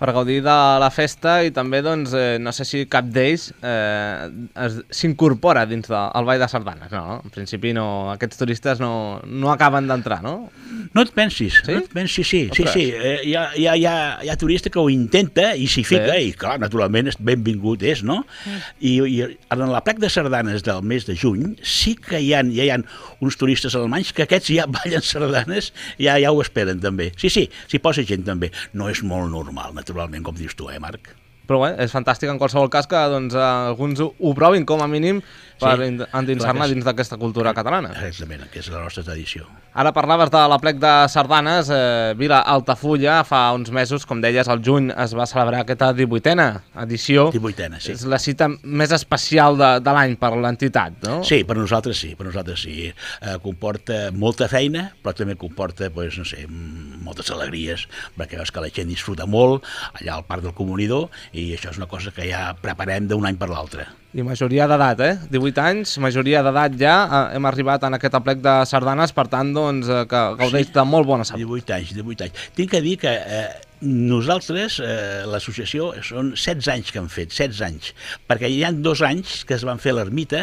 Per gaudir de la festa i també, doncs, eh, no sé si cap d'ells eh, s'incorpora dins del Ball de Sardanes, no? En principi no, aquests turistes no, no acaben d'entrar, no? No et pensis, sí? no et pensis, sí, sí, sí. Eh, hi, ha, hi, ha, hi, ha, hi ha turista que ho intenta i s'hi fica, sí. I clar, naturalment, benvingut és, no? Mm. I, I en la plec de sardanes del mes de juny sí que hi ha, ja hi ha uns turistes alemanys que aquests ja ballen sardanes, ja, ja ho esperen també. Sí, sí, s'hi posa gent també. No és molt normal, naturalment, com dius tu, eh, Marc? Però bé, és fantàstic en qualsevol cas que doncs, alguns ho, ho provin com a mínim per sí, endinsar-ne dins d'aquesta cultura catalana. Exactament, que és la nostra tradició. Ara parlaves de la plec de sardanes, eh, Vila Altafulla, fa uns mesos, com deies, al juny es va celebrar aquesta divuitena edició. divuitena, sí. És la cita més especial de, de l'any per l'entitat, no? Sí, per nosaltres sí, per nosaltres sí. Eh, comporta molta feina, però també comporta, pues, no sé, moltes alegries, perquè veus que la gent disfruta molt allà al Parc del Comunidor i això és una cosa que ja preparem d'un any per l'altre. I majoria d'edat, eh? divuit anys, majoria d'edat ja, eh, hem arribat en aquest aplec de sardanes, per tant, doncs, eh, que gaudeix sí, de molt bona salut. divuit anys, divuit anys. Tinc que dir que eh, nosaltres, eh, l'associació, són setze anys que hem fet, setze anys, perquè hi ha dos anys que es van fer a l'ermita,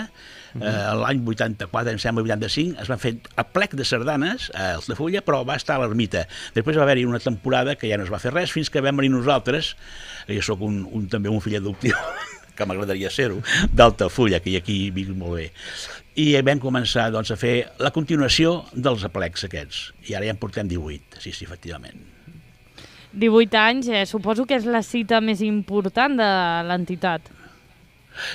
eh, l'any vuitanta-quatre, em sembla, vuitanta-cinc, es van fer a plec de sardanes, a Altafulla, però va estar a l'ermita. Després va haver-hi una temporada que ja no es va fer res, fins que vam venir nosaltres, jo sóc un, un, també un fill adoptiu, que m'agradaria ser-ho, d'Altafulla, que aquí vic molt bé. I vam començar doncs, a fer la continuació dels aplecs aquests, i ara ja en portem divuit, sí, sí, efectivament. divuit anys, eh, suposo que és la cita més important de l'entitat.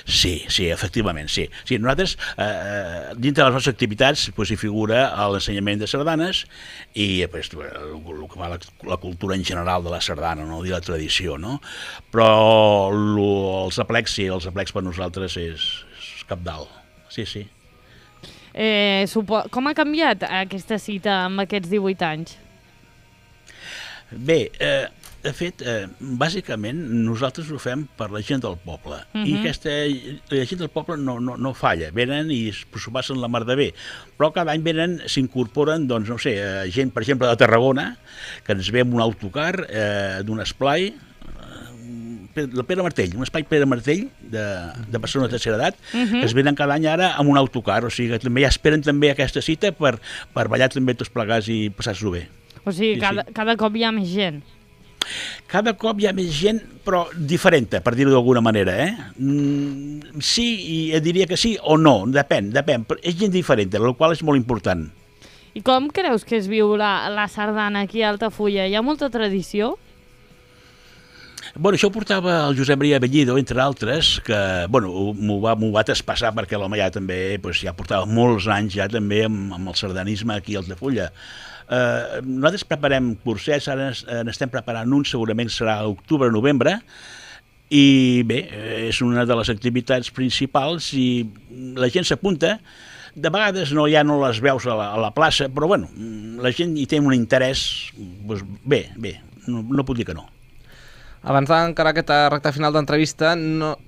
Sí, sí, efectivament, sí. sí nosaltres, eh, dintre de les nostres activitats, pues, hi figura l'ensenyament de sardanes i pues, el, el que va la, la cultura en general de la sardana, no? I la tradició, no? Però lo, els aplecs, sí, els aplecs per nosaltres és, és cabdal, sí, sí. Eh, supo... Com ha canviat aquesta cita amb aquests divuit anys? Bé, eh, de fet, eh, bàsicament nosaltres ho fem per la gent del poble. Uh-huh. I aquesta la gent del poble no, no, no falla. Venen i s'ho passen la mar de bé. Però cada any venen, s'incorporen, doncs, no sé, eh, gent, per exemple, de Tarragona, que ens ve amb un autocar eh, d'un esplai, eh, el Pere Martell, un espai Pere Martell de, de persones de tercera edat, uh-huh. que es venen cada any ara amb un autocar. O sigui, que també ja esperen també aquesta cita per, per ballar també tots plegats i passar-s'ho bé. O sigui, sí, cada, sí. cada cop hi ha més gent. Cada cop hi ha més gent, però diferent, per dir-ho d'alguna manera, eh? Mm, sí, i diria que sí o no, depèn, depèn. Però és gent diferent, el qual és molt important. I com creus que es viu la, la sardana aquí a Altafulla? Hi ha molta tradició? Bueno, això ho portava el Josep Maria Bellido, entre altres, que bueno, m'ho va, m'ho va traspassar perquè l'home ja també pues, ja portava molts anys ja també amb, amb el sardanisme aquí a Altafulla. Uh, nosaltres preparem cursets, ara n'estem preparant un, segurament serà a octubre-novembre, i bé, és una de les activitats principals i la gent s'apunta. De vegades no, ja no les veus a la, a la plaça, però bueno, la gent hi té un interès, doncs, bé, bé, no, no puc dir que no. Abans d'encarar aquesta recta final d'entrevista, no,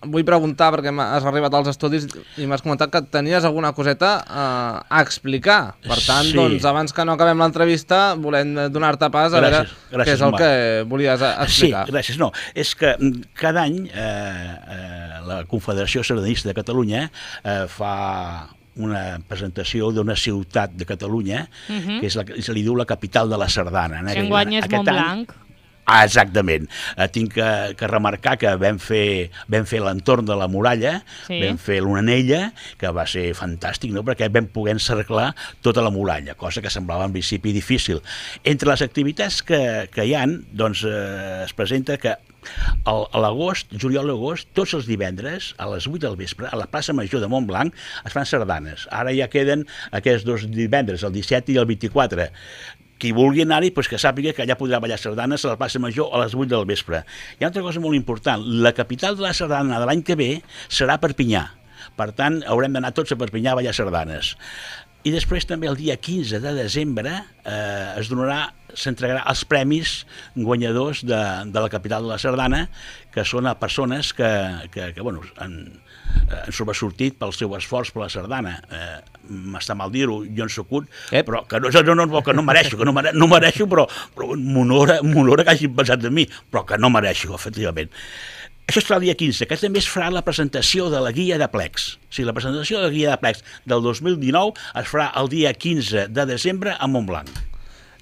vull preguntar, perquè has arribat als estudis i m'has comentat que tenies alguna coseta eh, a explicar. Per tant, sí. doncs, abans que no acabem l'entrevista, volem donar-te pas a gràcies, veure gràcies, què és el Marc. Que volies explicar. Sí, gràcies. No, és que cada any eh, eh, la Confederació Sardanista de Catalunya eh, fa una presentació d'una ciutat de Catalunya, uh-huh. que és la, se li diu la capital de la sardana. Que enguany és Montblanc. Ah, exactament. Eh, tinc que, que remarcar que vam fer, vam fer l'entorn de la muralla, sí. vam fer l'Onella, que va ser fantàstic, no? Perquè vam poder encerclar tota la muralla, cosa que semblava en principi difícil. Entre les activitats que, que hi ha, doncs, eh, es presenta que al, a l'agost, juliol i agost, tots els divendres, a les vuit del vespre, a la plaça Major de Montblanc, es fan sardanes. Ara ja queden aquests dos divendres, el disset i el vint-i-quatre. qui vulgui anar-hi, doncs que sàpiga que allà podrà ballar sardanes a la plaça Major a les vuit del vespre. Hi ha una altra cosa molt important, la capital de la sardana de l'any que ve serà Perpinyà. Per tant, haurem d'anar tots a Perpinyà a ballar sardanes. I després també el dia quinze de desembre eh, es donarà, s'entregarà els premis guanyadors de, de la capital de la sardana, que són a persones que, que, que bueno, han, han sobresortit pel seu esforç per la sardana. Eh, m'està mal dir-ho, jo en soc un, Ep. però que no, no, no, que no mereixo, que no mereixo, no mereixo però, però m'honora, m'honora que hagin pensat en mi, però que no mereixo, efectivament. Això es farà el dia quinze, que també es farà la presentació de la guia de plecs. O sigui, la presentació de la guia de plecs del dos mil dinou es farà el dia quinze de desembre a Montblanc.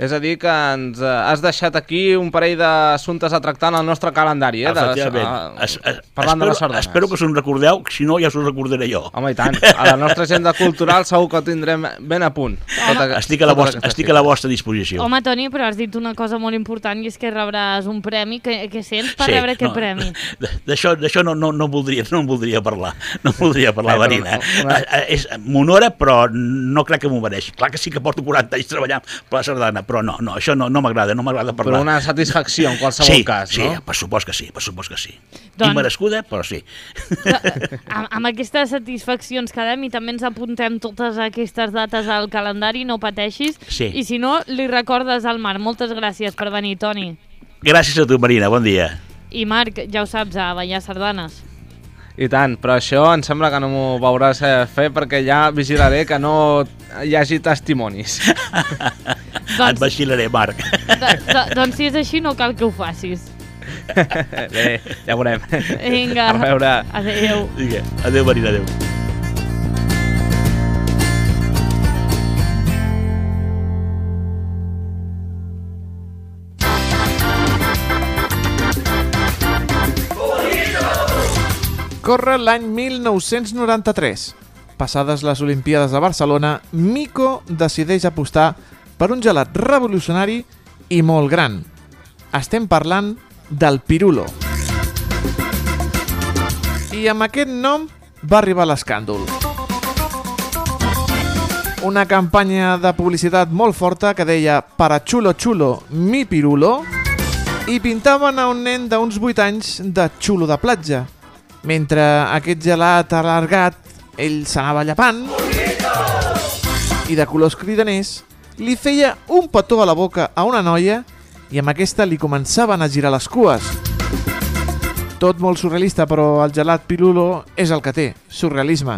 És a dir, que ens eh, has deixat aquí un parell d'assumptes a tractar en el nostre calendari, eh? Efectivament. De, es, es, parlant espero, de les sardanes. Espero que us en recordeu, si no ja us ho recordaré jo. Home, i tant. A la nostra agenda cultural segur que ho tindrem ben a punt. Tota, estic, a la vostra, estic a la vostra disposició. Home, Toni, però has dit una cosa molt important i és que rebràs un premi. Que, que sents per sí, rebre aquest no, premi? D'això no, no, no, voldria, no en voldria parlar. No en voldria parlar, Bé, Marina. No, una... És m'honora, però no crec que m'ho mereixi. Clar que sí que porto quaranta anys treballant per la sardana, però no, no això no, no m'agrada, no m'agrada parlar. Però una satisfacció en qualsevol sí, cas, sí, no? Sí, per supost que sí, per supost que sí. Doncs... Immerescuda, però sí. Amb, amb aquestes satisfaccions quedem i també ens apuntem totes aquestes dates al calendari, no pateixis. Sí. I si no, li recordes al Marc. Moltes gràcies per venir, Toni. Gràcies a tu, Marina, bon dia. I Marc, ja ho saps, a ballar sardanes. I tant, però això em sembla que no m'ho veuràs fer perquè ja vigilaré que no hi hagi testimonis. doncs, Et vigilaré, Marc. Do, do, doncs si és així no cal que ho facis. Bé, ja veurem. Vinga. A veure. Adéu. Vinga, adéu, Marina, adéu. Corre l'any mil nou-cents noranta-tres. Passades les Olimpíades de Barcelona, Mico decideix apostar per un gelat revolucionari i molt gran. Estem parlant del Pirulo. I amb aquest nom va arribar l'escàndol. Una campanya de publicitat molt forta que deia «Para chulo chulo, mi Pirulo» i pintaven a un nen d'uns vuit anys de xulo de platja. Mentre aquest gelat alargat, ell s'anava llapant i de colors cridaners li feia un petó a la boca a una noia i amb aquesta li començaven a girar les cues. Tot molt surrealista, però el gelat Pirulo és el que té, surrealisme.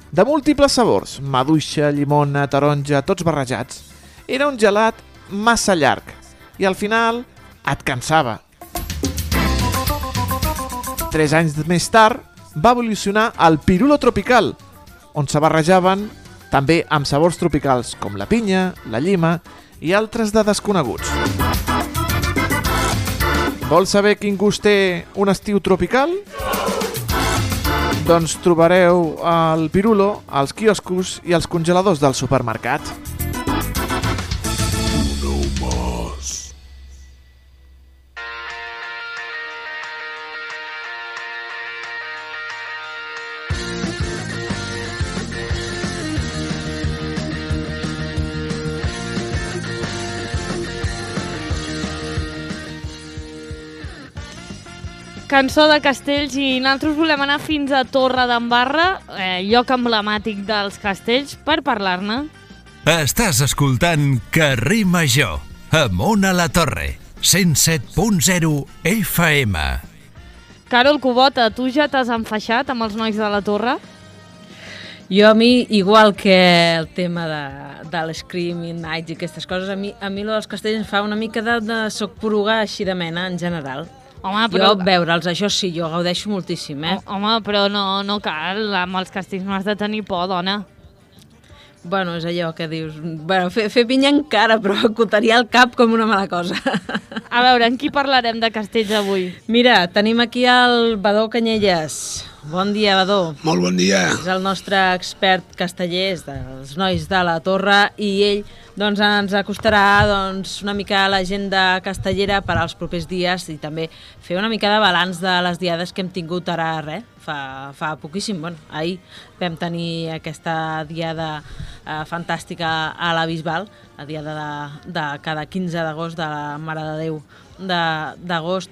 De múltiples sabors, maduixa, llimona, taronja, tots barrejats. Era un gelat massa llarg i al final et cansava. Tres anys més tard va evolucionar el Pirulo tropical, on se barrejaven també amb sabors tropicals com la pinya, la llima i altres de desconeguts. Vols saber quin gust té un estiu tropical? Doncs trobareu el Pirulo als quioscos i als congeladors del supermercat. Cançó de castells i nosaltres volem anar fins a Torredembarra, eh, lloc emblemàtic dels castells, per parlar-ne. Estàs escoltant Carrer Major, amunt a la torre, cent set punt zero F M. Carol Cubota, tu ja t'has enfaixat amb els nois de la torre? Jo a mi, igual que el tema de, de l'Screaming Nights i aquestes coses, a mi, a mi lo dels castells em fa una mica de, de soc poruga així de mena, en general. Home, però... Jo veure'ls, això sí, jo gaudeixo moltíssim, eh? Home, però no, no cal, amb els castells no has de tenir por, dona. Bueno, és allò que dius... Bueno, fer, fer pinya encara, però acotaria el cap com una mala cosa. A veure, en qui parlarem de castells avui? Mira, tenim aquí el Badó Canyelles, Bon dia, Badó. Molt bon dia. És el nostre expert casteller, és dels nois de la Torre, i ell doncs, ens acostarà doncs, una mica a l'agenda castellera per als propers dies i també fer una mica de balanç de les diades que hem tingut ara, res, fa, fa poquíssim. Bueno, ahir vam tenir aquesta diada eh, fantàstica a la Bisbal, la diada de, de cada quinze d'agost de la Mare de Déu d'agost.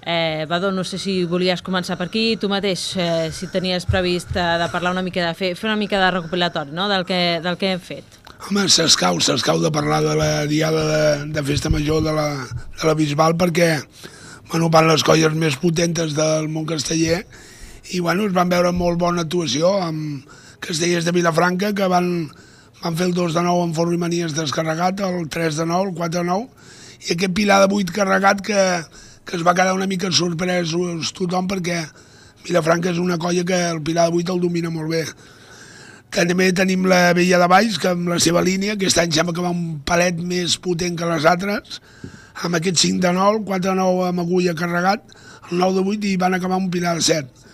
Eh, Badó, no sé si volies començar per aquí, tu mateix, eh, si tenies previst eh, de parlar una mica, de fer, fer una mica de recopilatori, no?, del que, del que hem fet. Home, s'escau, s'escau de parlar de la diada de, de festa major de la, de la Bisbal perquè, bueno, van les colles més potentes del món casteller i, bueno, es van veure molt bona actuació amb castellers de Vilafranca que van, van fer el dos de nou amb Forro i Manies descarregat, el tres de nou, el quatre de nou, i aquest Pilar de vuit carregat que que es va quedar una mica sorprès tothom perquè Vilafranca és una colla que el Pilar de vuit el domina molt bé. També tenim la Vella de Valls, que amb la seva línia, aquest any sembla que va un palet més potent que les altres, amb aquest cinc de nou, quatre de nou amb agulla carregat, el nou de vuit i van acabar un Pilar de set.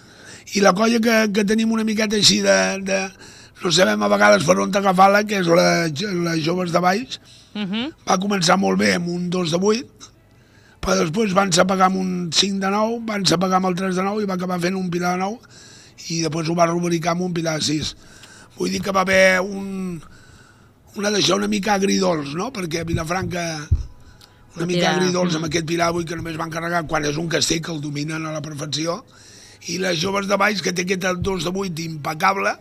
I la colla que, que tenim una miqueta així de, de... no sabem a vegades per on agafar-la, que és la, la Joves de Valls, uh-huh. va començar molt bé amb un dos de vuit, però després van s'apagar amb un cinc de nou, van s'apagar amb el tres de nou i va acabar fent un Pilar de nou i després ho va rubricar amb un Pilar de sis. Vull dir que va haver un, una d'això una mica agridols, no? Perquè Vilafranca una mica agridols amb aquest Pilar de vuit que només van carregar quan és un castell que el dominen a la perfecció i les Joves de Valls que té aquest dos de vuit impecable,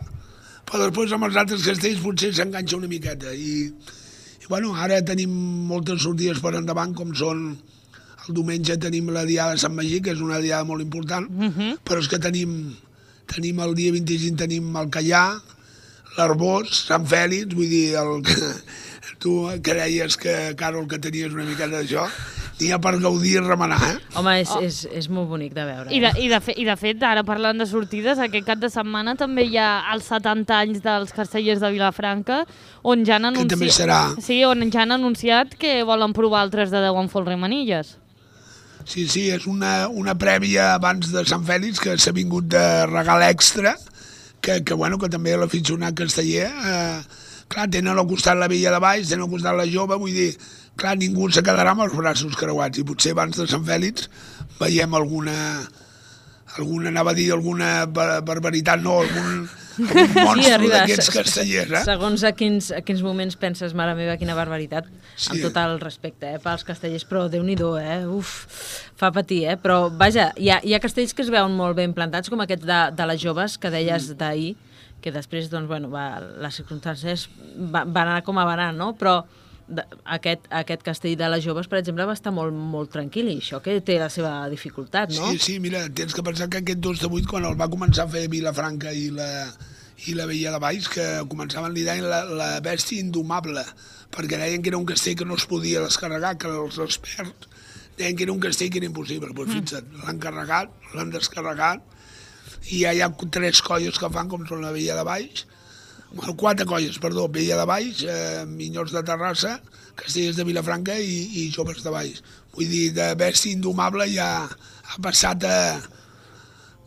però després amb els altres castells potser s'enganxa una miqueta i, i bueno, ara tenim moltes sortides per endavant com són. El diumenge tenim la Diada de Sant Magí, que és una diada molt important, uh-huh. però és que tenim, tenim el dia vint-i-cinc tenim el Callà, l'Arbós, Sant Fèlix, vull dir, el, tu que deies que, Carol, que tenies una miqueta d'això, n'hi ha per gaudir i remenar, eh? Home, és, oh. és, és molt bonic de veure. Eh? I, de, i, de fe, I de fet, ara parlant de sortides, aquest cap de setmana també hi ha els setanta anys dels castellers de Vilafranca, on ja han anunciat... Que també serà. Sí, on ja han anunciat que volen provar el tres de deu amb Folre i Manilles. Sí, sí, és una, una prèvia abans de Sant Fèlix que s'ha vingut de regal extra, que, que, bueno, que també l'aficionat casteller, eh, clar, tenen al costat la Vella de Valls, tenen al costat la Jove, vull dir, clar, ningú se quedarà amb els braços creuats i potser abans de Sant Fèlix veiem alguna, alguna anava a dir, alguna barbaritat, no, algun, algun monstre sí, d'aquests castellers, eh? Segons a quins, a quins moments penses, mare meva, quina barbaritat, sí. Amb tot el respecte, eh, pels castellers, però Déu-n'hi-do, eh, uf, fa patir, eh, però vaja, hi ha, hi ha castells que es veuen molt ben plantats, com aquest de, de les Joves, que deies mm. d'ahir, que després, doncs, bueno, va, les circumstàncies va, van anar com van anar, no?, però de, aquest, aquest castell de les Joves, per exemple, va estar molt, molt tranquil, i això que té la seva dificultat, no? Sí, sí, mira, tens que pensar que aquest dos de vuit, quan el va començar a fer Vilafranca i la, i la Vella de Valls, que començaven, li deien la, la bèstia indomable, perquè deien que era un castell que no es podia descarregar, que els experts deien que era un castell que era impossible. Pues fixa't, l'han carregat, l'han descarregat, i ja hi ha tres colles que fan, com són la Vella de Valls, bueno, quatre colles, perdó, Vella de Valls, eh, Minyons de Terrassa, Castellers de Vilafranca i, i Joves de Valls. Vull dir, de bèstia indomable ja ha passat a...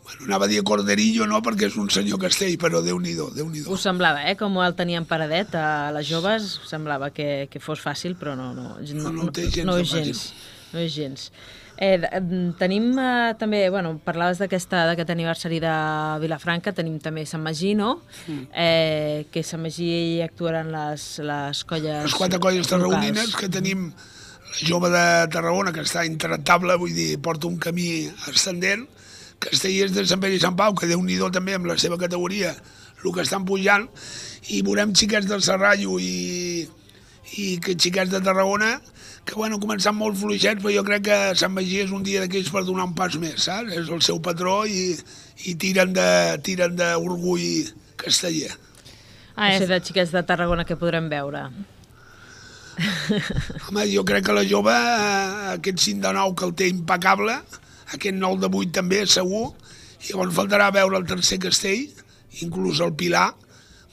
Bueno, anava a dir Corderillo, no, perquè és un senyor castell, però Déu-n'hi-do, Déu-n'hi-do. Us semblava, eh, com el tenien paradet a les Joves, semblava que, que fos fàcil, però no, no, no, no, no, té gens no és gens, no és gens. Eh, tenim eh, també, bueno, parlaves d'aquesta d'aquest aniversari de Vilafranca, tenim també Sant Magí, no? Mm. Eh, que Sant Magí hi actuaran les, les colles Les quatre colles tarragonines, que tenim la Jove de Tarragona, que està intractable, vull dir, porta un camí ascendent, Castellers de Sant Pere i Sant Pau, que Déu-n'hi-do també amb la seva categoria, el que estan pujant, i veurem xiquets del Serrallo i, i que xiquets de Tarragona, que bueno, començant molt fluixets, però jo crec que Sant Magí és un dia d'aquells per donar un pas més, saps? És el seu patró i, i tiren de tiren d'orgull casteller. Ah, és de xiquets de Tarragona que podrem veure. Home, jo crec que la Jove, aquest cinc de nou que el té impecable, aquest nou de vuit també, segur, i llavors faltarà veure el tercer castell, inclús el Pilar,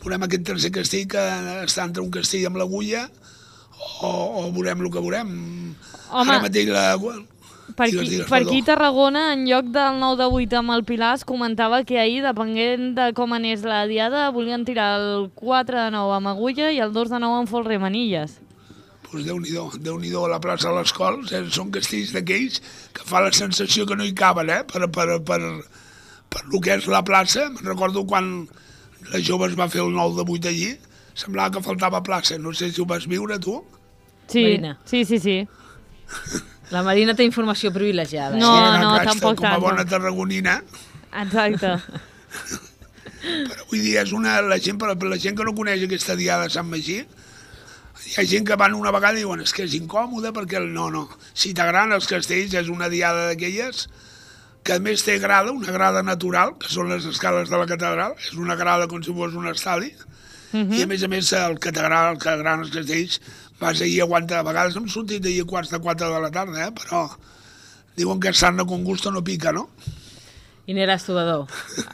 veurem aquest tercer castell que està entre un castell amb l'agulla, o, o veurem el que veurem. Home, ara mateix la... Per aquí, digues, digues, per aquí perdó. Tarragona, en lloc del nou de vuit amb el Pilar, es comentava que ahir, depenent de com anés la diada, volien tirar el quatre de nou amb Agulla i el dos de nou amb Folre Manilles. Pues Déu-n'hi-do, Déu-n'hi-do, a la plaça de les Cols, eh? Són castells d'aquells que fa la sensació que no hi caben, eh? Per, per, per, per lo que és la plaça. Me'n recordo quan la Joves va fer el nou de vuit allí, semblava que faltava plaça. No sé si ho vas viure, tu. Sí, Marina. sí, sí, sí. La Marina té informació privilegiada. No, eh? no, Exacte, tampoc com a tant. bona tarragonina. Exacte. Però vull dir, és una, la, gent, per la gent que no coneix aquesta diada de Sant Magí, hi ha gent que van una vegada i diuen és que és incòmode perquè... No, no. Si t'agraden els castells, és una diada d'aquelles que a més té grada, una grada natural, que són les escales de la catedral, és una grada com si fos un estadi, uh-huh. I a més a més el que t'agrada, el que agraden els castells, vas ahir a aguantar, a vegades hem sortit ahir a quarts de quatre de la tarda, eh? Però diuen que sarna con gusto no pica, no? I n'eres tu, Badó,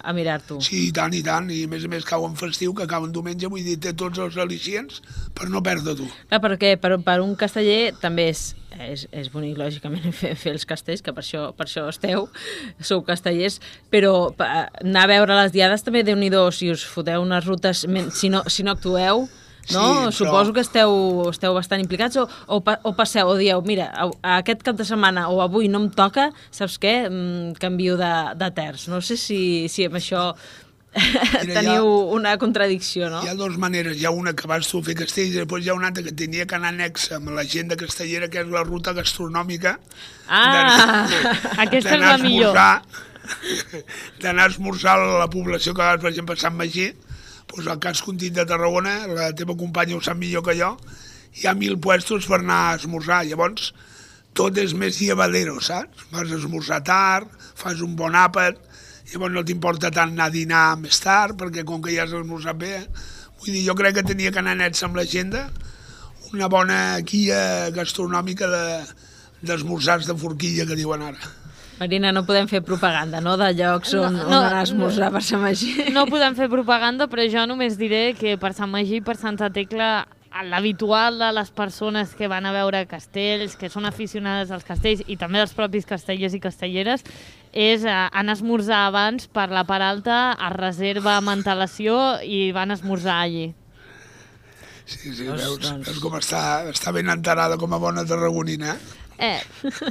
a mirar-t'ho. Sí, i tant, i tant, i a més a més cau en festiu, que cau en diumenge, vull dir, té tots els al·licients per no perdre-t'ho. Clar, perquè per, per un casteller també és, és, és bonic, lògicament, fer, fer els castells, que per això, per això esteu, sou castellers, però pa, anar a veure les diades també, Déu-n'hi-do, si us foteu unes rutes, si no, si no actueu, no? Sí, però... Suposo que esteu, esteu bastant implicats o, o, o passeu o dieu, mira, a, a aquest cap de setmana o avui no em toca, saps què? Mm, canvio de, de terç. No sé si, si amb això Mira, teniu ha, una contradicció, no? Hi ha dues maneres. Hi ha una que vas tu a fer castells i després hi ha una altra que tenia que anar anexa amb l'agenda castellera, que és la ruta gastronòmica. Ah, aquesta és la millor. D'anar a esmorzar a la població que vas, per exemple, a Sant Magí, doncs al cas Contit de Tarragona, la teva companya ho sap millor que jo, hi ha mil puestos per anar a esmorzar. Llavors, tot és més llevadero, saps? Vas a esmorzar tard, fas un bon àpat, llavors no t'importa tant anar a dinar més tard, perquè com que ja has esmorzat bé, eh? Vull dir, jo crec que tenia que anar nets amb l'agenda, una bona guia gastronòmica de, d'esmorzars de forquilla, que diuen ara. Marina, no podem fer propaganda, no?, de llocs on, no, no, on anar a esmorzar per Sant Magí. No podem fer propaganda, però jo només diré que per Sant Magí i per Santa Tecla l'habitual de les persones que van a veure castells, que són aficionades als castells i també dels propis castellers i castelleres, és anar a esmorzar abans per la part alta, es reserva amb antelació i van a esmorzar allí. Sí, sí, veus, veus com està, està ben enterada com a bona tarragonina, eh? Eh,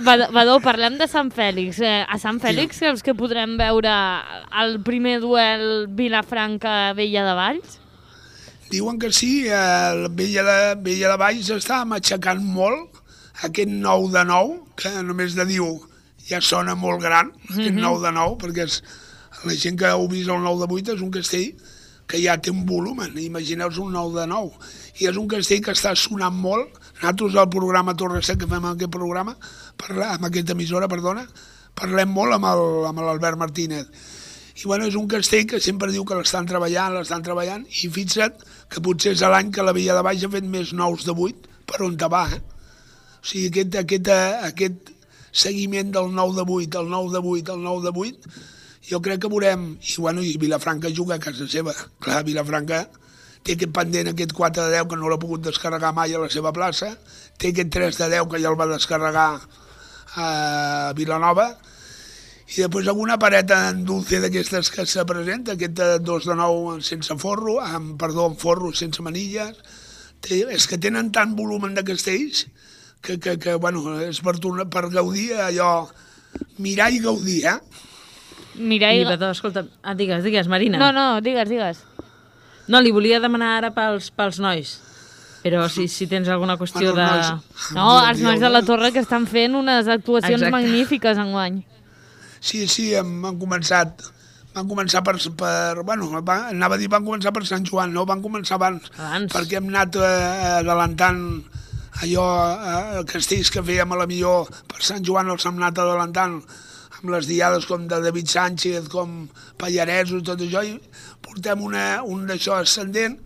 Badó, parlem de Sant Fèlix. Eh, a Sant Fèlix creus que podrem veure el primer duel Vilafranca-Vella de Valls? Diuen que sí, eh, Vella de, Vella de Valls està matxacant molt aquest nou de nou, que només de diu ja sona molt gran, aquest mm-hmm. nou de nou, perquè és, la gent que heu vist el nou de vuit és un castell que ja té un volum, imagineu-vos un nou de nou, i és un castell que està sonant molt. Nosaltres al programa Torre Sec, que fem aquest programa, parla, amb aquesta emissora, perdona, parlem molt amb, el, amb l'Albert Martínez. I bueno, és un castell que sempre diu que l'estan treballant, l'estan treballant, i fixa't que potser és l'any que la Vella de Valls ha fet més nous de vuit per on te va, eh? O sigui, aquest, aquest, aquest seguiment del nou de vuit, el nou de vuit, el nou de vuit, jo crec que veurem, i bueno, i Vilafranca juga a casa seva. Clar, Vilafranca té aquest pendent, aquest quatre de deu, que no l'ha pogut descarregar mai a la seva plaça, té aquest tres de deu, que ja el va descarregar a Vilanova, i després alguna pareta en dulce d'aquestes que se presenta, aquest dos de nou sense forro, amb, perdó, amb forro, sense manilles. Té, és que tenen tant volum de castells que, que, que bueno, és per, tornar, per gaudir allò, mirar i gaudir, eh? Mirar i... Badó, escolta, ah, digues, digues, Marina. No, no, digues, digues. No, li volia demanar ara pels, pels nois, però si, si tens alguna qüestió de... No, els nois de la Torre que estan fent unes actuacions Exacte. magnífiques enguany. Sí, sí, hem, han començat, van començar per, per bueno, van, anava a dir van començar per Sant Joan, no, van començar abans, abans. perquè hem anat eh, adelantant allò, eh, castells que fèiem a la millor per Sant Joan, els hem anat adelantant amb les diades com de David Sánchez, com Pallaresos, tot això, i portem una, un d'això ascendent,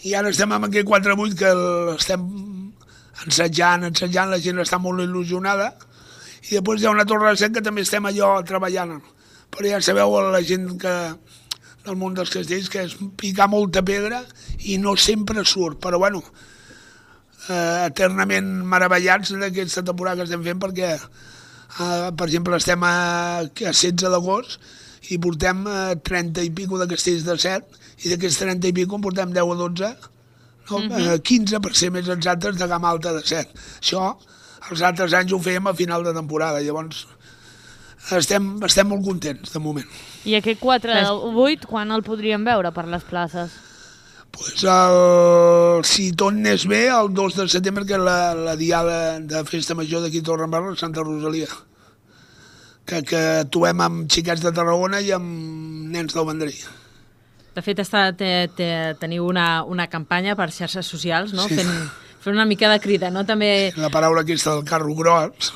i ara estem amb aquest quatre vuit que l'estem ensajant, ensajant, la gent està molt il·lusionada, i després hi ha una Torre de Sec que també estem allò treballant, però ja sabeu la gent que del món dels castells que és picar molta pedra i no sempre surt, però bueno, eh, eternament meravellats d'aquesta temporada que estem fent, perquè Uh, per exemple, estem a, a setze d'agost i portem uh, trenta i pico de castells de set, i d'aquests trenta i pico en portem deu o dotze, no? uh-huh. uh, quinze per ser més exactes de gamma alta de set. Això els altres anys ho fèiem a final de temporada, llavors estem, estem molt contents de moment. I aquest quatre de vuit, quan el podríem veure per les places? Pues el, si tot anés bé, el dos de setembre, que és la, la diada de festa major d'aquí a Torredembarra, Santa Rosalia, que, que actuem amb xiquets de Tarragona i amb nens del Vendrell. De fet, està, te, te, teniu una, una campanya per xarxes socials, no? Sí. Fent, fent una mica de crida, no? També... La paraula aquesta del carro gros.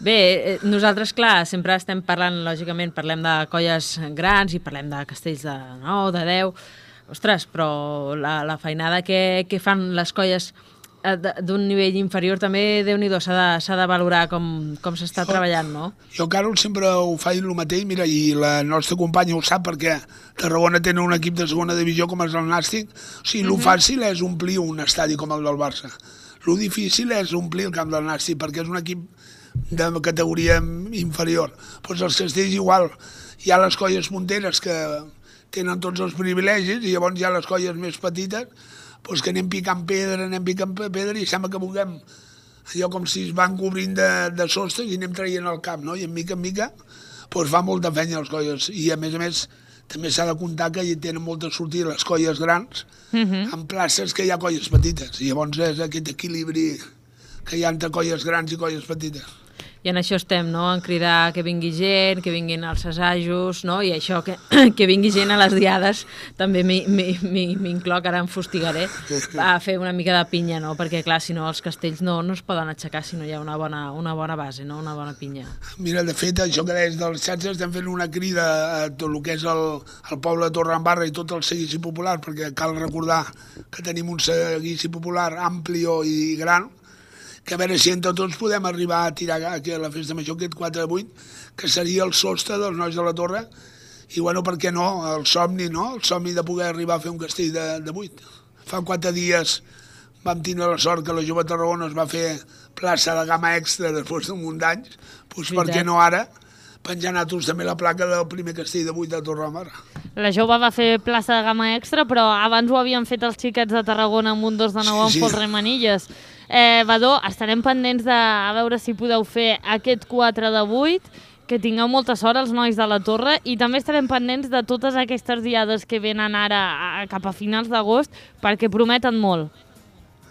Bé, nosaltres, clar, sempre estem parlant, lògicament, parlem de colles grans i parlem de castells de nou, de deu. Ostres, però la, la feinada que, que fan les colles d'un nivell inferior també, Déu-n'hi-do, s'ha de, s'ha de valorar com, com s'està treballant, no? Jo, Carol, sempre ho faig el mateix, mira, i la nostra companya ho sap, perquè Tarragona tenen un equip de segona divisió com és el Nàstic. O sigui, uh-huh. el fàcil és omplir un estadi com el del Barça. El difícil és omplir el camp del Nàstic, perquè és un equip de categoria inferior. Doncs els castells igual, hi ha les colles punteres que tenen tots els privilegis i llavors hi ha les colles més petites doncs que anem picant pedra, anem picant pedra i sembla que vulguem allò com si es van cobrint de, de sostres i anem traient el camp, no? I en mica en mica doncs fa molta feina les colles i a més a més també s'ha de comptar que hi tenen moltes sortides les colles grans uh-huh. en places que hi ha colles petites i llavors és aquest equilibri que hi ha entre colles grans i colles petites. I en això estem, no?, en cridar que vingui gent, que vinguin als assajos, no?, i això, que, que vingui gent a les diades, també m'incloc, ara em fustigaré, a fer una mica de pinya, no?, perquè, clar, si no, els castells no, no es poden aixecar si no hi ha una bona, una bona base, no?, una bona pinya. Mira, de fet, això que deies dels xatxes, estem fent una crida a tot el que és el, el poble de Torredembarra i tot el seguici popular, perquè cal recordar que tenim un seguici popular ampli i gran, que a veure si entre tots podem arribar a tirar aquí a la festa major aquest quatre de vuit, que seria el sostre dels nois de la Torre, i bueno, per què no, el somni, no? El somni de poder arribar a fer un castell de, de vuit. Fa quatre dies vam tenir la sort que la Jove Tarragona es va fer plaça de gamma extra després d'un munt d'anys, doncs per què no ara penjar nosaltres també la placa del primer castell de vuit de Torredembarra. La Jove va fer plaça de gamma extra, però abans ho havien fet els xiquets de Tarragona amb un dos de nou sí, amb sí. Folre Manilles. Eh, Badó, estarem pendents de a veure si podeu fer aquest quatre de vuit, que tingueu molta sort els nois de la Torre, i també estarem pendents de totes aquestes diades que venen ara a, cap a finals d'agost, perquè prometen molt.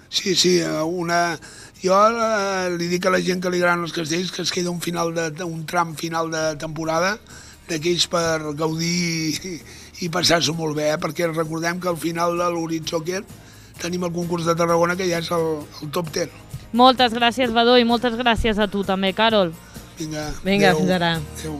Sí, sí, una... jo eh, li dic a la gent que li agraden els castells que es queda un, final de, un tram final de temporada d'aquells per gaudir i, i passar-s'ho molt bé, eh? Perquè recordem que al final de l'horitzó aquest tenim el concurs de Tarragona, que ja és el, el top deu. Moltes gràcies, Badó, i moltes gràcies a tu també, Carol. Vinga, Vinga, fins ara. Adéu.